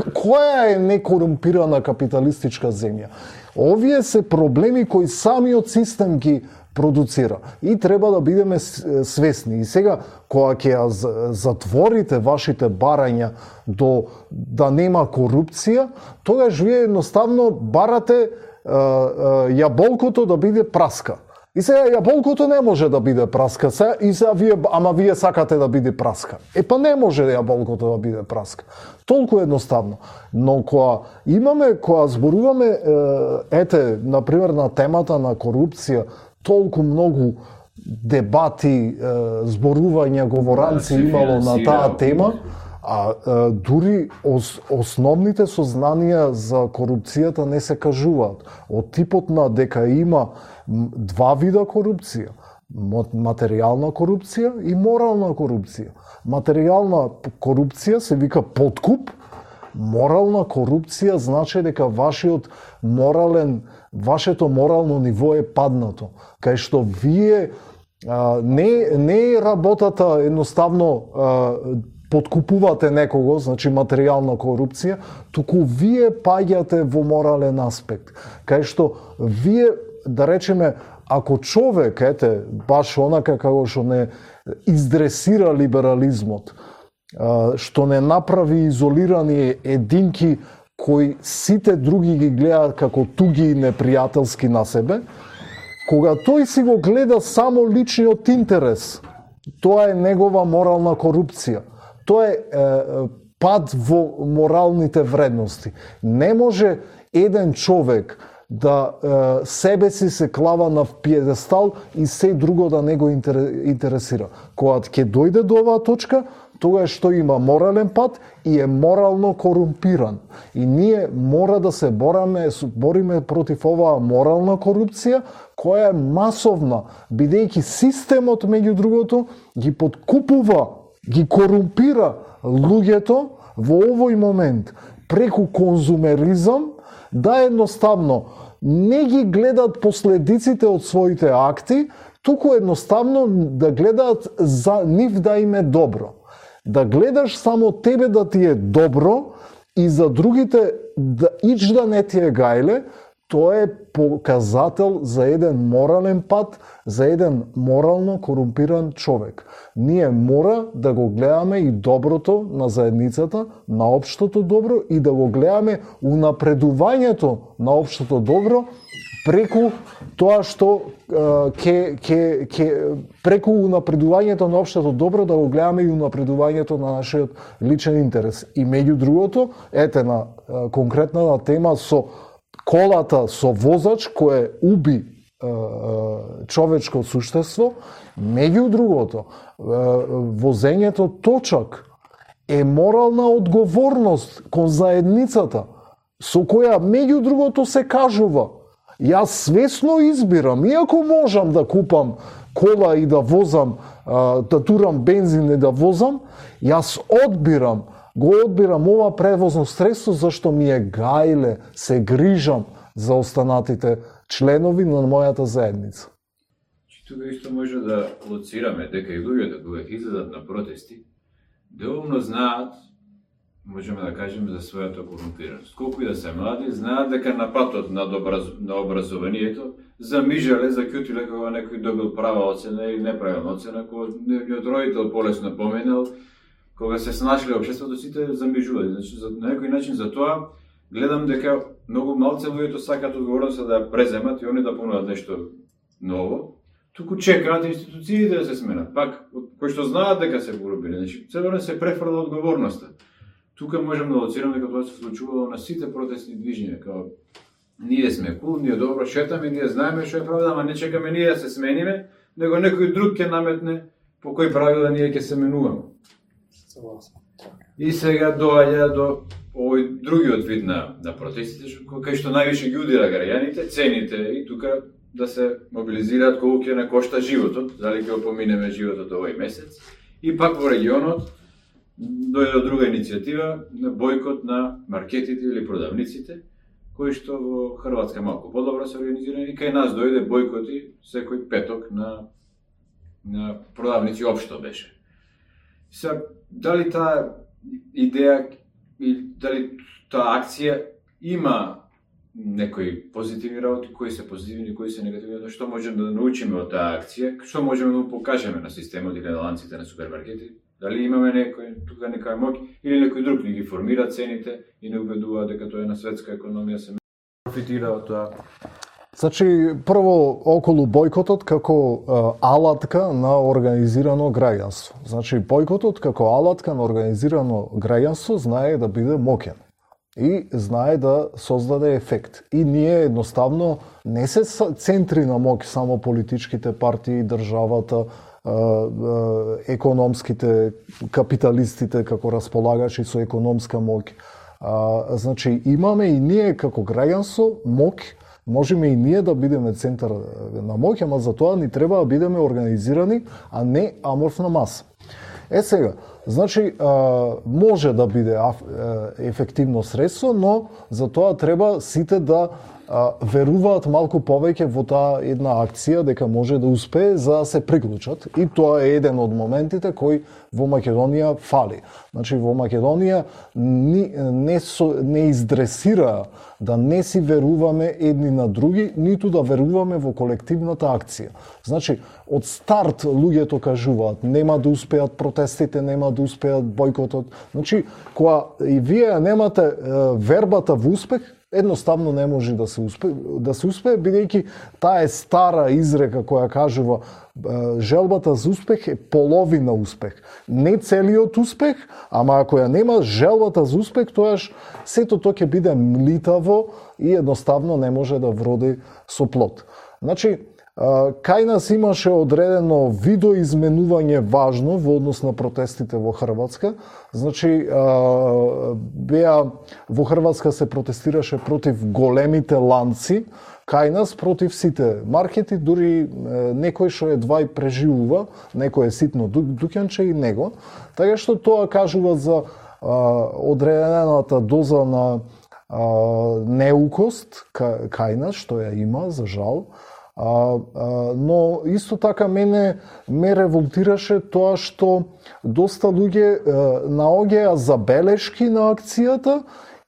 Која е некорумпирана капиталистичка земја? Овие се проблеми кои самиот систем ги продуцира. И треба да бидеме свесни. И сега, кога ќе ја затворите вашите барања до да нема корупција, тогаш вие едноставно барате е, е, јаболкото да биде праска. И сега јаболкото не може да биде праска, се, и сега вие, ама вие сакате да биде праска. Е па не може јаболкото да биде праска. Толку едноставно. Но кога имаме, кога зборуваме, е, ете, например, на темата на корупција, толку многу дебати, зборувања, говоранци имало на таа тема, а дури ос, основните сознанија за корупцијата не се кажуваат. Од типот на дека има два вида корупција. Материјална корупција и морална корупција. Материјална корупција се вика подкуп, морална корупција значи дека вашиот морален вашето морално ниво е паднато, кај што вие а, не, не е работата едноставно а, подкупувате некого, значи материјална корупција, туку вие паѓате во морален аспект, кај што вие, да речеме, ако човек, ете, баш онака како што не издресира либерализмот, а, што не направи изолирани единки кои сите други ги гледаат како туги и непријателски на себе, кога тој си го гледа само личниот интерес, тоа е негова морална корупција. Тоа е, е пад во моралните вредности. Не може еден човек да е, себе си се клава на пиедестал и се друго да не го интересира. Кога ќе дојде до оваа точка, тогаш што има морален пат и е морално корумпиран. И ние мора да се бораме, бориме против оваа морална корупција, која е масовна, бидејќи системот, меѓу другото, ги подкупува, ги корумпира луѓето во овој момент преку конзумеризам, да едноставно не ги гледат последиците од своите акти, туку едноставно да гледаат за нив да им е добро. Да гледаш само тебе да ти е добро и за другите да ич да не ти е гајле, тоа е показател за еден морален пат, за еден морално корумпиран човек. Ние мора да го гледаме и доброто на заедницата, на општото добро и да го гледаме унапредувањето на општото добро преку тоа што ке, ке, ке, преку унапредувањето на општото добро да го гледаме и унапредувањето на нашиот личен интерес. И меѓу другото, ете на конкретната тема со колата со возач кој уби е, е, човечко суштество, меѓу другото, е, возењето точак е морална одговорност кон заедницата, со која меѓу другото се кажува: јас свесно избирам, иако можам да купам кола и да возам, да турам бензин и да возам, јас одбирам, го одбирам ова превозно средство зашто ми е гајле, се грижам за останатите членови на мојата заедница. Тука исто може да лоцираме дека и луѓето кога ќе излезат на протести, доволно знаат, можеме да кажеме, за својата корумпираност. Колку и да се млади, знаат дека на патот на, образ... на образованието замижале, закјутиле кога некој добил права оцена или неправилна оцена, кога нејот родител полесно поменал, кога се снашле општеството, сите замижувале. Значи, за, на некој начин за тоа гледам дека многу малце луѓето сакаат одговорноста да ја преземат и они да понудат нешто ново, туку чекаат институциите да се сменат. Пак, кои што знаат дека се корумпирани, значи, цело се префрла одговорноста. Тука можеме да оценуваме дека тоа се случувало на сите протестни движења, као ние сме кул, ние добро шетаме, ние знаеме што е правда, ама не чекаме ние да се смениме, него некој друг ќе наметне по кои правила ние ќе се менуваме. И сега доаѓа до овој другиот вид на, на протестите, кај што највише ги удира граѓаните, цените и тука да се мобилизираат колку ќе на кошта животот, дали ќе опоминеме животот овој месец. И пак во регионот дојде од друга иницијатива на бојкот на маркетите или продавниците, кои што во Хрватска малку подобро се организирани, и кај нас дојде бојкоти секој петок на на продавници општо беше. Се дали таа идеја и дали таа акција има некои позитивни работи, кои се позитивни, кои се негативни, што можеме да научиме од таа акција, што можеме да покажеме на системот или на ланците на супермаркети, дали имаме некој тука некоја моќ или некој друг ни ги формира цените и не убедува дека тоа е на светска економија се профитира од тоа. Значи, прво околу бојкотот како а, алатка на организирано граѓанство. Значи, бојкотот како алатка на организирано граѓанство знае да биде моќен и знае да создаде ефект. И ние едноставно не се центри на моќ само политичките партии, државата, економските капиталистите како располагачи со економска моќ. Значи, имаме и ние како граѓанство моќ, можеме и ние да бидеме центар на моќ, ама за тоа ни треба да бидеме организирани, а не аморфна маса. Е сега, значи, може да биде ефективно средство, но за тоа треба сите да веруваат малку повеќе во таа една акција дека може да успее за да се приклучат, и тоа е еден од моментите кој во Македонија фали. Значи во Македонија не, не, со, не издресира да не си веруваме едни на други, ниту да веруваме во колективната акција. Значи од старт луѓето кажуваат нема да успеат протестите, нема да успеат бојкотот. Значи кога и вие немате вербата во успех, едноставно не може да се успее, да се успее, бидејќи таа е стара изрека која кажува желбата за успех е половина успех. Не целиот успех, ама ако ја нема желбата за успех, тоаш сето тоа ќе биде млитаво и едноставно не може да вроди со плод. Значи, кај нас имаше одредено видоизменување важно во однос на протестите во Хрватска. Значи, беа во Хрватска се протестираше против големите ланци, кај нас против сите маркети, дури некој што едва и преживува, некој е ситно дуќанче и него. Така што тоа кажува за одредената доза на неукост кај нас, што ја има, за жал. А, а, но исто така мене ме револтираше тоа што доста луѓе наоѓаа забелешки на акцијата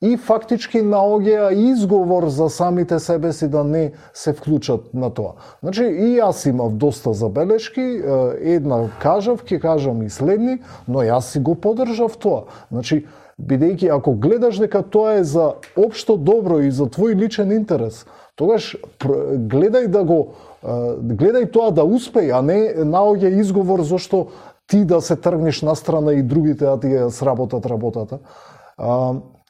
и фактички наоѓаа изговор за самите себе си да не се вклучат на тоа. Значи и јас имав доста забелешки, една кажав, ќе кажам и следни, но јас си го поддржав тоа. Значи бидејќи ако гледаш дека тоа е за општо добро и за твој личен интерес, тогаш гледај да го гледај тоа да успее, а не наоѓа изговор зашто ти да се тргнеш настрана и другите да ти ја сработат работата.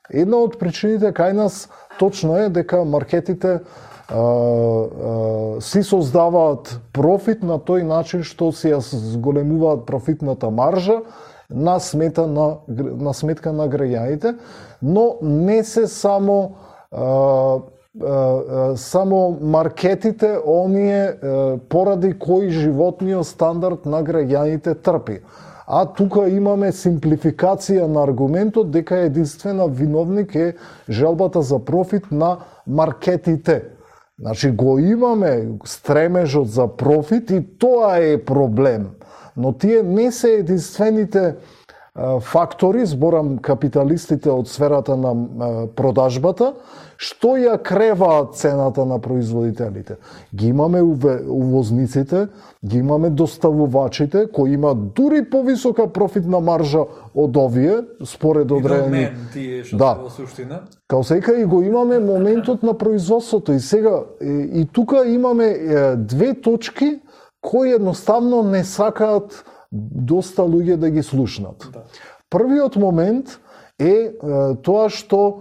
Една од причините кај нас точно е дека маркетите а, а, си создаваат профит на тој начин што си ја зголемуваат профитната маржа на смета на на сметка на граѓаните, но не се само а, само маркетите, оние поради кои животниот стандард на граѓаните трпи. А тука имаме симплификација на аргументот дека единствена виновник е желбата за профит на маркетите. Значи го имаме стремежот за профит и тоа е проблем. Но тие не се единствените фактори, зборам капиталистите од сферата на продажбата, што ја креваат цената на производителите. Ги имаме увозниците, ги имаме доставувачите, кои имаат дури повисока профитна маржа од овие, според одредени... тие што да. се во суштина. Као сека и го имаме моментот на производството. И сега, и тука имаме две точки кои едноставно не сакаат доста луѓе да ги слушнат. Да. Првиот момент е, е тоа што е,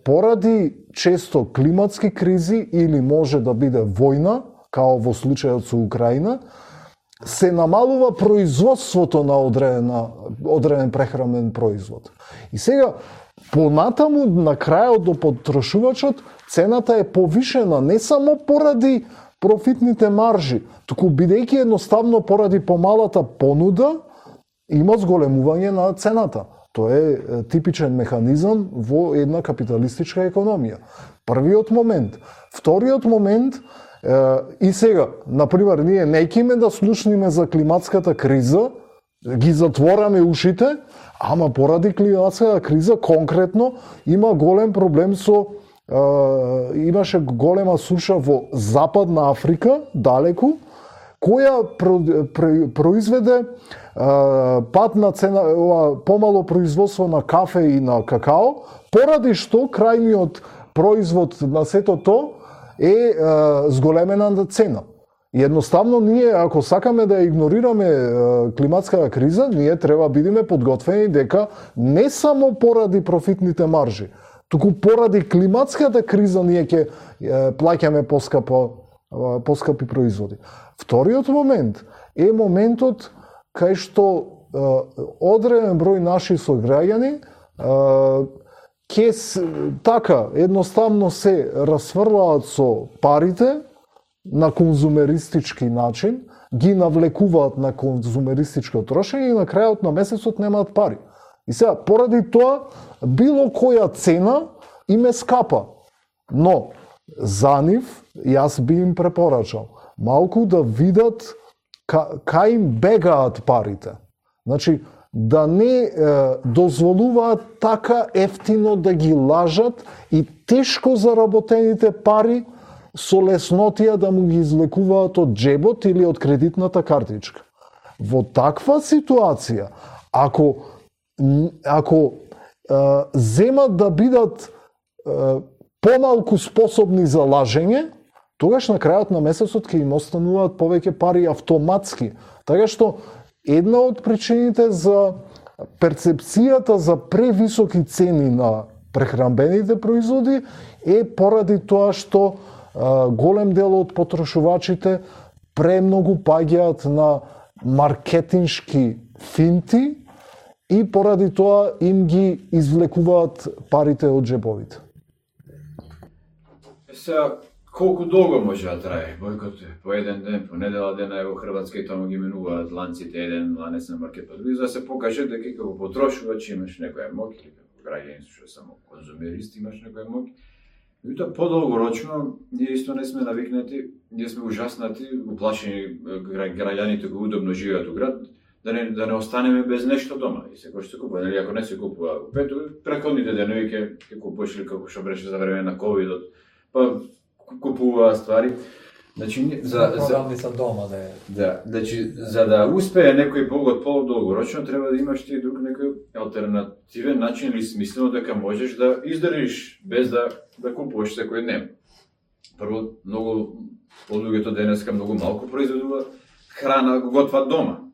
поради често климатски кризи или може да биде војна, као во случајот со Украина, се намалува производството на одредена, одреден прехранбен производ. И сега, понатаму, на крајот до потрошувачот, цената е повишена не само поради профитните маржи, туку бидејќи едноставно поради помалата понуда, има зголемување на цената. Тоа е типичен механизам во една капиталистичка економија. Првиот момент. Вториот момент, и сега, например, ние неќиме да слушниме за климатската криза, ги затвораме ушите, ама поради климатската криза конкретно има голем проблем со е, имаше голема суша во Западна Африка, далеку, која про, про, произведе е, пат на цена, ова, помало производство на кафе и на какао, поради што крајниот производ на сето то е, е зголемена цена. И едноставно ние, ако сакаме да игнорираме е, климатската криза, ние треба бидеме подготвени дека не само поради профитните маржи, туку поради климатската криза ние ќе плаќаме поскапо, поскапи производи. Вториот момент е моментот кај што е, одреден број наши сограѓани ќе така едноставно се расфрлаат со парите на конзумеристички начин, ги навлекуваат на конзумеристичко трошење и на крајот на месецот немаат пари. И сега, поради тоа, било која цена им е скапа. Но, за нив, јас би им препорачал, малку да видат ка, кај им бегаат парите. Значи, да не е, дозволуваат така ефтино да ги лажат и тешко заработените пари со леснотија да му ги излекуваат од джебот или од кредитната картичка. Во таква ситуација, ако ако е, земат да бидат е, помалку способни за лажење, тогаш на крајот на месецот ќе им остануваат повеќе пари автоматски. Така што една од причините за перцепцијата за превисоки цени на прехранбените производи е поради тоа што е, голем дел од потрошувачите премногу паѓаат на маркетиншки финти и поради тоа им ги извлекуваат парите од джебовите. Сега, колку долго може да трае бојкот? По еден ден, по недела дена, ево Хрватска и таму ги менуваат ланците, еден ланец на маркет, па други, за да се покаже дека како потрошувач имаш некоја моќ, или како граѓани што само конзумерист имаш некоја моќ. Меѓутоа, подолгорочно, ние исто не сме навикнати, ние сме ужаснати, уплашени граѓаните кои удобно живеат у град, да не, да не останеме без нешто дома. И секој што се купува, нели, ако не се купува, пето, преходните денови ќе ќе купуваш или како што беше за време на ковидот, па купува ствари. Значи, за за за дома да е. Да, значи за да успее некој погод подолгорочно треба да имаш ти друг некој алтернативен начин или смислено дека можеш да издржиш без да да купуваш секој ден. Прво, многу од луѓето денеска многу малку произведуваат храна, готват дома.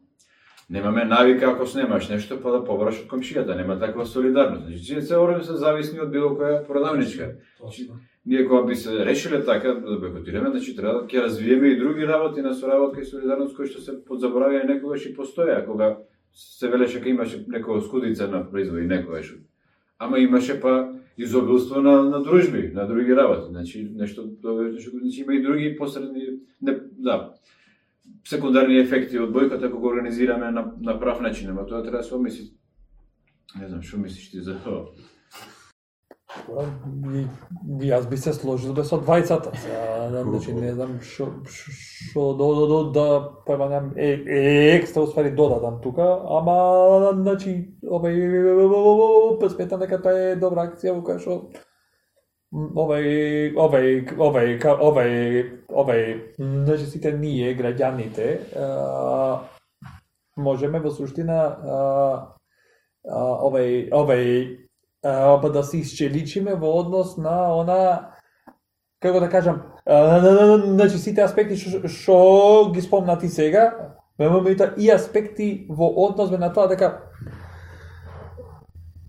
Немаме навика ако снемаш нешто па да побраш од комшијата, нема таква солидарност. Значи, се орем се зависни од било која продавничка. Значи, ние кога би се решиле така да бойкотираме, значи треба да ќе развиеме и други работи на соработка и солидарност кои што се подзаборавија некогаш и постоја, кога се велеше ка имаше некоја скудица на производи некогаш. Ама имаше па изобилство на на дружби, на други работи. Значи нешто нешто значи има и други посредни не, да секундарни ефекти од бојкот ако го организираме на на прав начин, ама тоа треба да се обмисли. Не знам што мислиш ти за тоа. И, јас би се сложил без од двајцата. Значи не знам што што до до до да појмам е, е екстра уствари додатам тука, ама значи овај сметам дека тоа е добра акција во која што овај овај овај овај овај значи сите ние граѓаните можеме во суштина овај овај па да се исчеличиме во однос на она како да кажам, значи сите аспекти што што ги спомнати сега, меѓутоа и аспекти во однос на тоа дека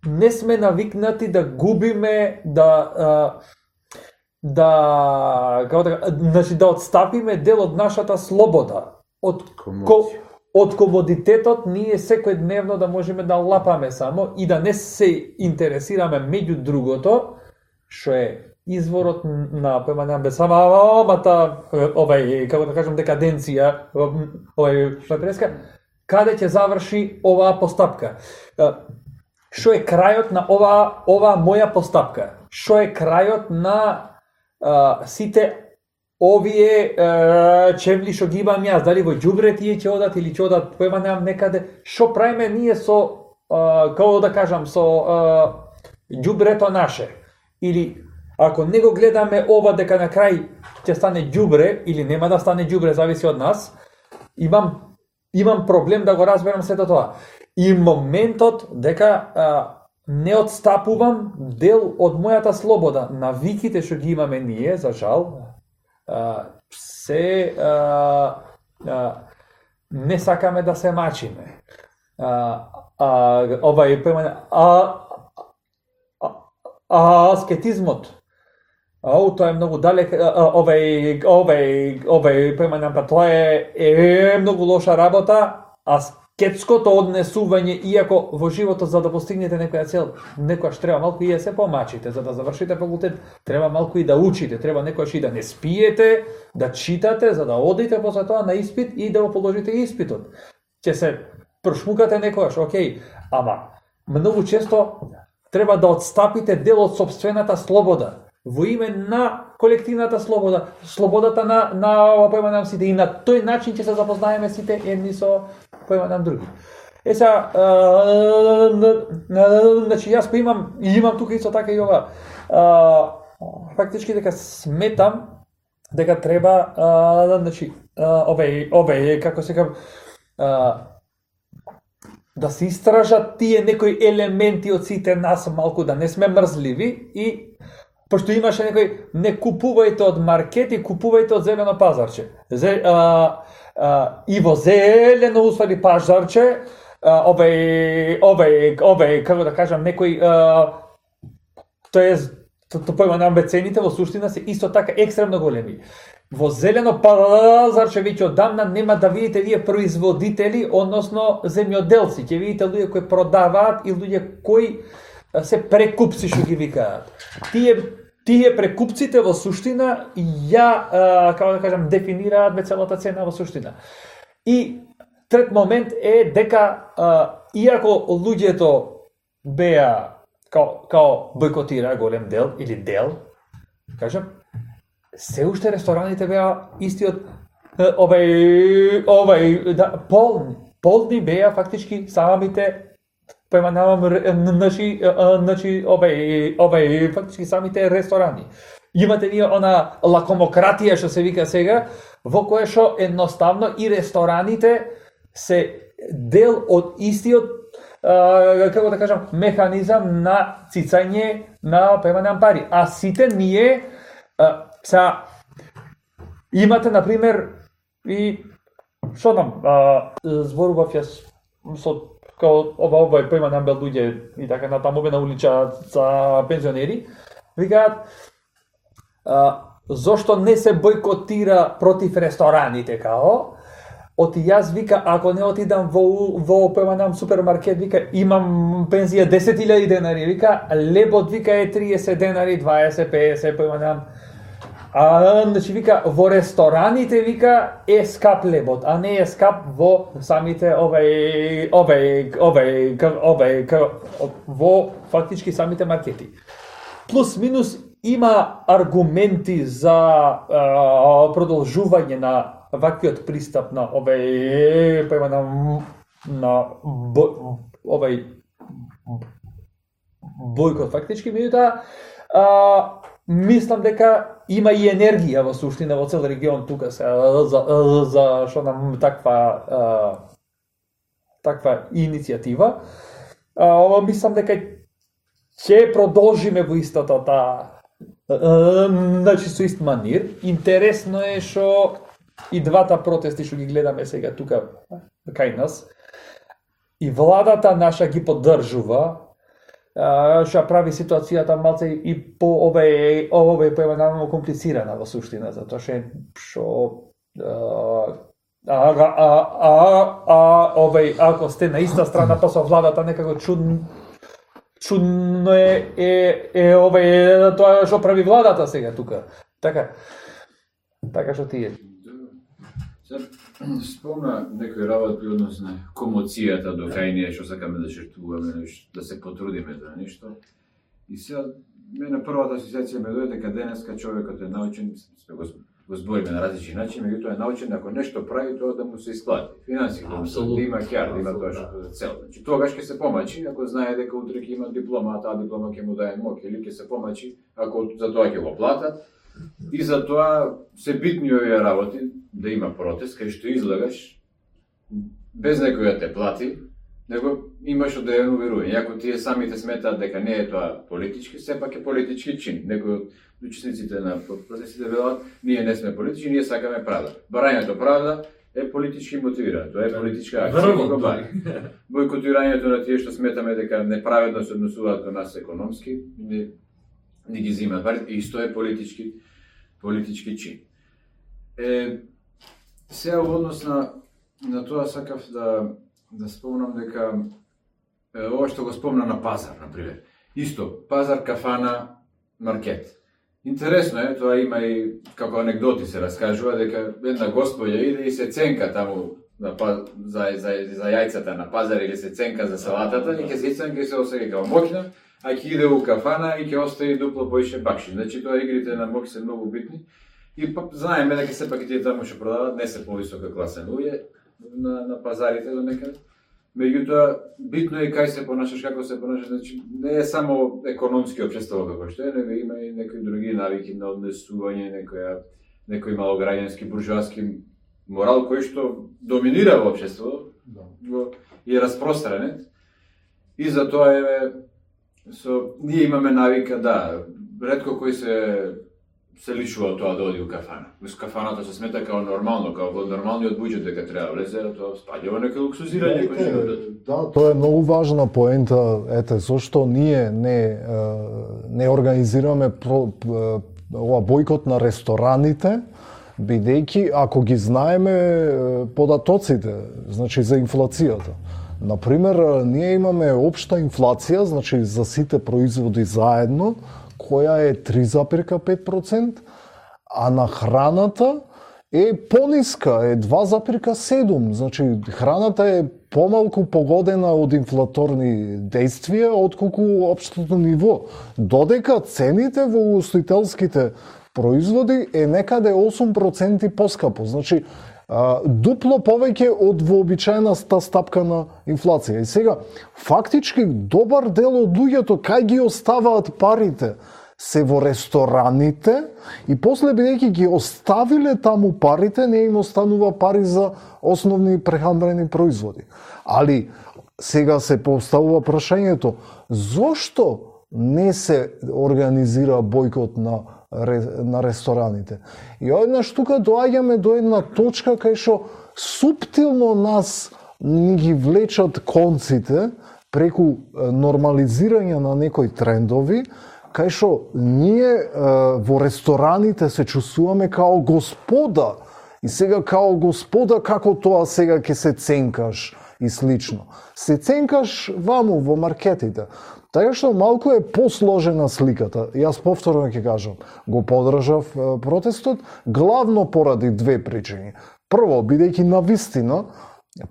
не сме навикнати да губиме, да да како да значи да отстапиме дел од нашата слобода, од ко, од комодитетот ние секојдневно да можеме да лапаме само и да не се интересираме меѓу другото, што е изворот на поемања самата овај како да кажам декаденција, овај што преска, каде ќе заврши оваа постапка. Што е крајот на оваа оваа моја постапка? Што е крајот на а, сите овие а, чевли што ги имам јас? Дали во ѓубре тие ќе одат или ќе одат поемањам некаде? Што правиме ние со а, како да кажам со а, ѓубрето наше? Или ако не го гледаме ова дека на крај ќе стане ѓубре или нема да стане ѓубре, зависи од нас, имам имам проблем да го разберам сето тоа. И моментот дека а, не отстапувам дел од мојата слобода, навиките што ги имаме ние, за жал, а, се а, а, не сакаме да се мачиме. А, а, овај поемање, а, а, а аскетизмот, Ау, тоа е многу далек, овај, овај, овај, поемањам, па тоа е, е многу лоша работа, аскетското однесување, иако во животот за да постигнете некоја цел, некојаш треба малку и да се помачите, за да завршите факултет, треба малку и да учите, треба некојаш и да не спиете, да читате, за да одите после тоа на испит и да го положите испитот. Ќе се прошмукате некојаш, окей, ама многу често треба да отстапите дел од сопствената слобода, во име на колективната слобода, слободата на на поемањам сите, и на тој начин ќе се запознаеме сите едни со поемањам други. Е са, значи јас па имам имам тука исто така и ова. А, фактички дека сметам дека треба а, значи овај овај како се кажа да се истражат тие некои елементи од сите нас малку, да не сме мрзливи, и пошто имаше некој, не купувајте од маркети, купувајте од зелено пазарче. Зе, а, а, и во зелено усвари пазарче, овај, овај, овај, како да кажам, некој, тоа е, тоа појманам бе цените во суштина се исто така екстремно големи. Во зелено пазарче веќе одамна нема да видите вие производители, односно земјоделци, ќе видите луѓе кои продаваат и луѓе кои се прекупци што ги викаат. Тие тие прекупците во суштина ја а, како да кажам дефинираат бе целата цена во суштина. И трет момент е дека а, иако луѓето беа као као бойкотира голем дел или дел, кажам, се уште рестораните беа истиот овај овај да полни, полни беа фактички самите поемањавам наши значи овај овај фактички самите ресторани. Имате ние она лакомократија што се вика сега, во кое што едноставно и рестораните се дел од истиот а, како да кажам механизам на цицање на поемањам пари. А сите ние а, са имате на пример и што знам, зборував јас со као ова овај поемањам бел луѓе и така натаму бе на улица за пензионери, викаат зошто не се бойкотира против рестораните као, оти јас вика ако не отидам во во поемањам супермаркет, вика имам пензија десет илјади денари, вика лебот вика е триесет денари, дваесет, песет поемањам. А, значи вика во рестораните вика е скап лебот, а не е скап во самите овај овај овај овај во фактички самите маркети. Плюс минус има аргументи за а, продолжување на ваквиот пристап на овај па има на на бо, овај бојкот фактички, меѓутоа а мислам дека има и енергија во суштина во цел регион тука се за за што нам таква а, таква иницијатива. А, мислам дека ќе продолжиме во истата таа Значи со ист манир. Интересно е што и двата протести што ги гледаме сега тука кај нас, и владата наша ги поддржува, што прави ситуацијата малце и по ове ове поемано комплицирана во суштина, затоа што а а а а ове ако сте на иста страна па со владата некако чудно чудно е е е ове тоа што прави владата сега тука. Така. Така што тие. Спомна некој работи односно комоцијата до кај ние што сакаме да жртвуваме, да се потрудиме за нешто. И сега мене првата асоциација ме дојде дека денеска човекот е научен, сме го, го збориме на различни начини, меѓутоа е научен ако нешто прави тоа да му се исплати. Финансиски, да има кјар, да има тоа што е цел. Значи тогаш ќе се помачи ако знае дека утре ќе има диплома, а таа диплома ќе му даде моќ, или ќе се помачи ако за тоа ќе го платат. И за тоа се битни овие работи, да има протест, кај што излагаш, без некој да те плати, него имаш од да ја уверува. И ако тие самите сметаат дека не е тоа политички, сепак е политички чин. Некој од учесниците на протестите велат, ние не сме политички, ние сакаме правда. Барањето правда е политички мотивирано, тоа е политичка акција. Бойкотирањето на тие што сметаме дека неправедно се однесуваат кон нас економски, не, не ги земаат пари, исто е политички политички чин. Е, сега во однос на, на тоа сакав да, да спомнам дека е, ова што го спомна на пазар, например. Исто, пазар, кафана, маркет. Интересно е, тоа има и како анекдоти се раскажува, дека една господја иде и се ценка таму на, за, за, за јајцата на пазар или се ценка за салатата, и ќе се ценка и се осеќа како моќна, а ќе иде у кафана и ќе остави дупло поише бакши. Значи тоа игрите на моќ се многу битни. И па знаеме дека сепак и тие таму што продаваат не се повисока класа луѓе на, на пазарите до некаде. Меѓутоа, битно е кај се понашаш, како се понашаш, значи не е само економски општество како што е, него има и некои други навики на однесување, некоја некој малограѓански буржуаски морал кој што доминира во општеството, го и е распространет. И затоа е со ние имаме навика да ретко кој се се лишува тоа да оди у кафана. Во кафаната се смета као нормално, као во нормалниот буџет дека треба влезе, тоа спаѓа во некој луксузирање кој животот. Да, тоа е многу важна поента, ете, зошто ние не не организираме про, ова бојкот на рестораните, бидејќи ако ги знаеме податоците, значи за инфлацијата. Например, ние имаме општа инфлација, значи за сите производи заедно, која е три запирка пет проценти, а на храната е пониска, е два запирка седум. Значи, храната е помалку погодена од инфлаторни действија, отколку општото ниво. Додека цените во угостителските производи е некаде осум проценти поскапо. Значи, дупло повеќе од вообичаената стапка на инфлација. И сега, фактички, добар дел од луѓето кај ги оставаат парите се во рестораните и после бидејќи ги оставиле таму парите, не им останува пари за основни прехранбени производи. Али сега се поставува прашањето, зошто не се организира бојкот на на рестораните? И одеднаш тука доаѓаме до една точка кај што суптилно нас ни ги влечат конците преку нормализирање на некои трендови, кај што ние е, во рестораните се чувствуваме као господа. И сега као господа како тоа сега ќе се ценкаш и слично. Се ценкаш ваму во маркетите. Така што малку е посложена сликата. Јас повторно ќе кажам, го подржав протестот главно поради две причини. Прво, бидејќи навистина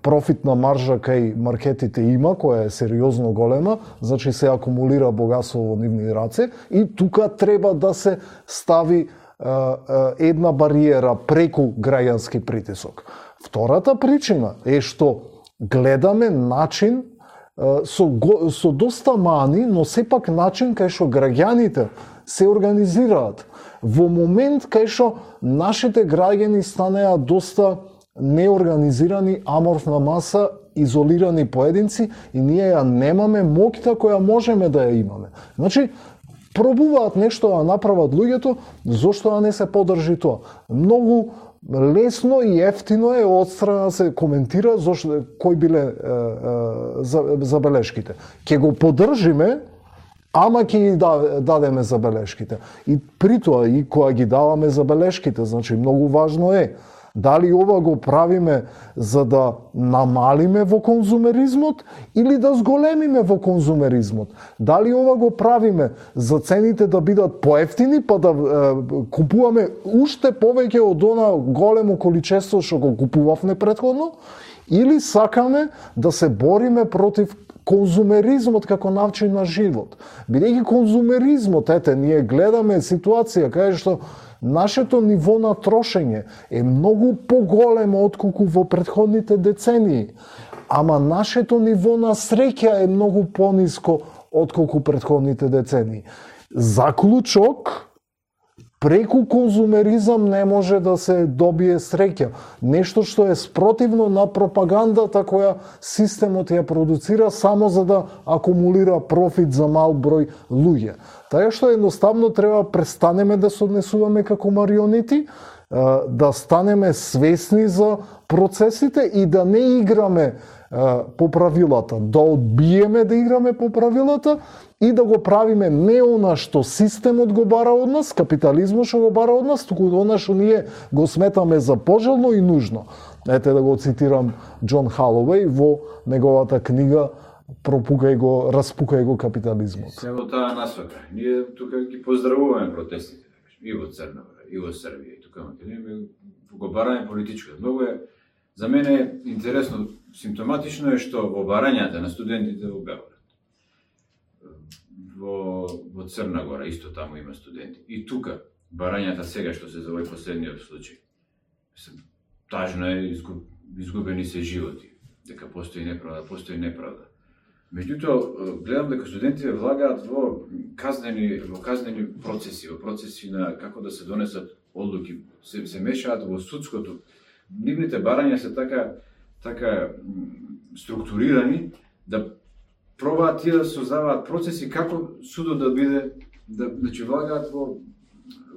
профитна маржа кај маркетите има, која е сериозно голема, значи се акумулира богатство во нивни раце и тука треба да се стави е, е, една бариера преку граѓански притисок. Втората причина е што гледаме начин со, со доста мани, но сепак начин кај што граѓаните се организираат. Во момент кај што нашите граѓани станеа доста неорганизирани, аморфна маса, изолирани поединци и ние ја немаме моќта која можеме да ја имаме. Значи, пробуваат нешто да направат луѓето, зошто да не се подржи тоа? Многу лесно и ефтино е одстрана да се коментира зошто кои биле е, е, забелешките. Ќе го поддржиме, ама ќе ги дадеме забелешките. И при тоа, и кога ги даваме забелешките, значи многу важно е дали ова го правиме за да намалиме во конзумеризмот или да зголемиме во конзумеризмот. Дали ова го правиме за цените да бидат поевтини, па да е, купуваме уште повеќе од она големо количество што го купувавме претходно, или сакаме да се бориме против конзумеризмот како начин на живот. Бидејќи конзумеризмот, ете, ние гледаме ситуација каде што нашето ниво на трошење е многу поголемо отколку во претходните децении, ама нашето ниво на среќа е многу пониско отколку претходните децении. Заклучок, преку конзумеризам не може да се добие среќа. Нешто што е спротивно на пропагандата која системот ја продуцира само за да акумулира профит за мал број луѓе. Така што едноставно треба престанеме да се однесуваме како марионети, да станеме свесни за процесите и да не играме по правилата, да одбиеме да играме по правилата и да го правиме не она што системот го бара од нас, капитализмот што го бара од нас, туку она што ние го сметаме за пожелно и нужно. Ете да го цитирам Џон Халовеј во неговата книга Пропукај го, распукај го капитализмот. Се во таа насока. Ние тука ги поздравуваме протестите, и во Црна Гора, и во Србија, и тука ние го бараме политичко. Многу е, за мене е интересно, симптоматично е што во барањата на студентите во Белград, во, во Црна Гора, исто таму има студенти. И тука, барањата сега што се за овој последниот случај, тажно е, изгубени се животи, дека постои неправда, постои неправда. Меѓутоа, гледам дека студентите влагаат во казнени, во казнени процеси, во процеси на како да се донесат одлуки, се, се мешаат во судското. Нивните барања се така, така структурирани да пробаат тие да создаваат процеси како судот да биде, да, значи влагаат во,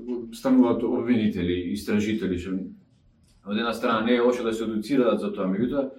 во стануваат обвинители, истражители, што од една страна не е лошо да се едуцираат за тоа, меѓутоа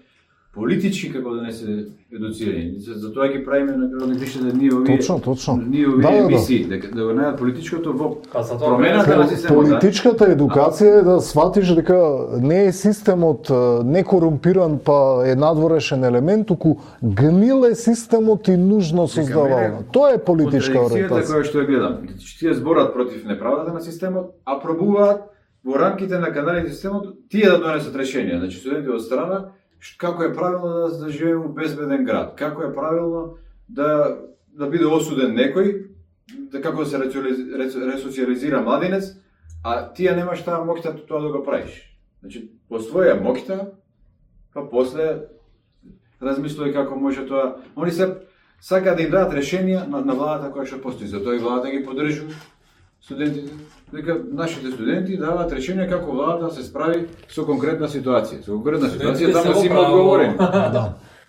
политички како да не се едуцирани. За тоа ги правиме на како да пише да ние овие Точно, точно. Ние овие Да, да, да. емисии, дека да го најдат политичкото во Па за тоа промената на системот. Политичката едукација е да сватиш дека не е системот некорумпиран па е надворешен елемент, туку гнил е системот и нужно создавано. Тоа е политичка ориентација. ориентација. Која што ја гледам. Тие зборат против неправдата на системот, а пробуваат во рамките на каналите системот тие да донесат решенија. Значи студенти од страна како е правилно да, да живееме во безбеден град, како е правилно да да биде осуден некој, да како да се ресоциализира младинец, а тие немаш таа моќта тоа да го правиш. Значи, по своја моќта, па после размислувај како може тоа. Они се сакаат да им дадат решенија на, на владата која што постои, затоа и владата ги поддржува студентите. Дека нашите студенти даваат решенија како владата се справи со конкретна ситуација. Со конкретна ситуација таму си има одговорени. Да.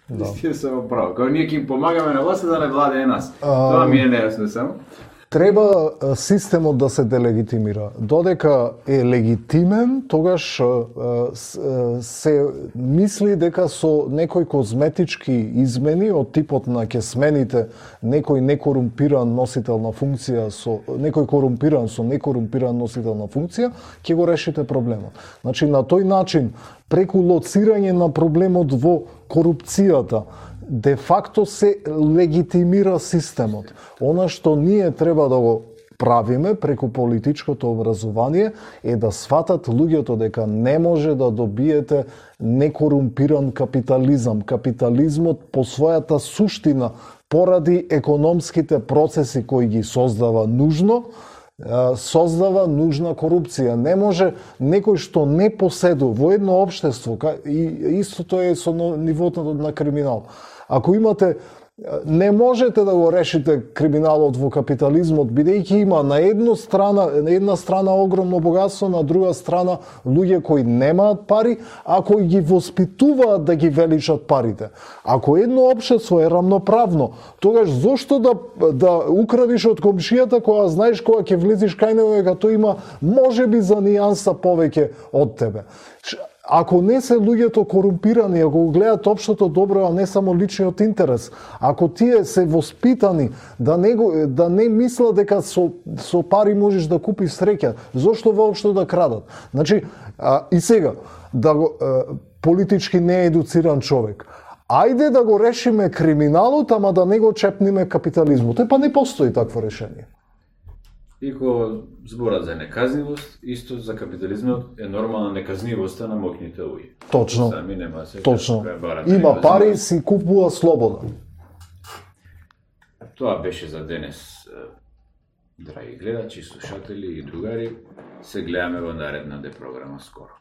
Да. Тие се право. Кога ние ќе им помагаме на власта да не владее нас. Тоа ми е нејасно само. Треба системот да се делегитимира. Додека е легитимен, тогаш се мисли дека со некои козметички измени од типот на ќе смените некој некорумпиран носител на функција со некој корумпиран со некорумпиран носител на функција, ќе го решите проблемот. Значи на тој начин, преку лоцирање на проблемот во корупцијата, де факто се легитимира системот. Она што ние треба да го правиме преку политичкото образование е да сватат луѓето дека не може да добиете некорумпиран капитализам. Капитализмот по својата суштина, поради економските процеси кои ги создава нужно, создава нужна корупција. Не може некој што не поседува во едно општество, и истото е со нивото на криминал. Ако имате не можете да го решите криминалот во капитализмот, бидејќи има на една страна, на една страна огромно богатство, на друга страна луѓе кои немаат пари, а кои ги воспитуваат да ги величат парите. Ако едно општество е рамноправно, тогаш зошто да да украдиш од комшијата кога знаеш кога ќе влезиш кај него дека тој има можеби за нијанса повеќе од тебе. Ако не се луѓето корумпирани, ако го гледаат општото добро, а не само личниот интерес, ако тие се воспитани да не, го, да не мислат дека со, со пари можеш да купиш среќа, зошто воопшто да крадат? Значи, а, и сега, да го, а, политички неедуциран човек, ајде да го решиме криминалот, ама да не го чепниме капитализмот. Е, па не постои такво решение. Ико зборат за неказнивост, исто за капитализмот е нормална неказнивоста на моќните луѓе. Точно. Сами нема се. Точно. Има пари, си купува слобода. Тоа беше за денес, драги гледачи, слушатели и другари. Се гледаме во наредната програма скоро.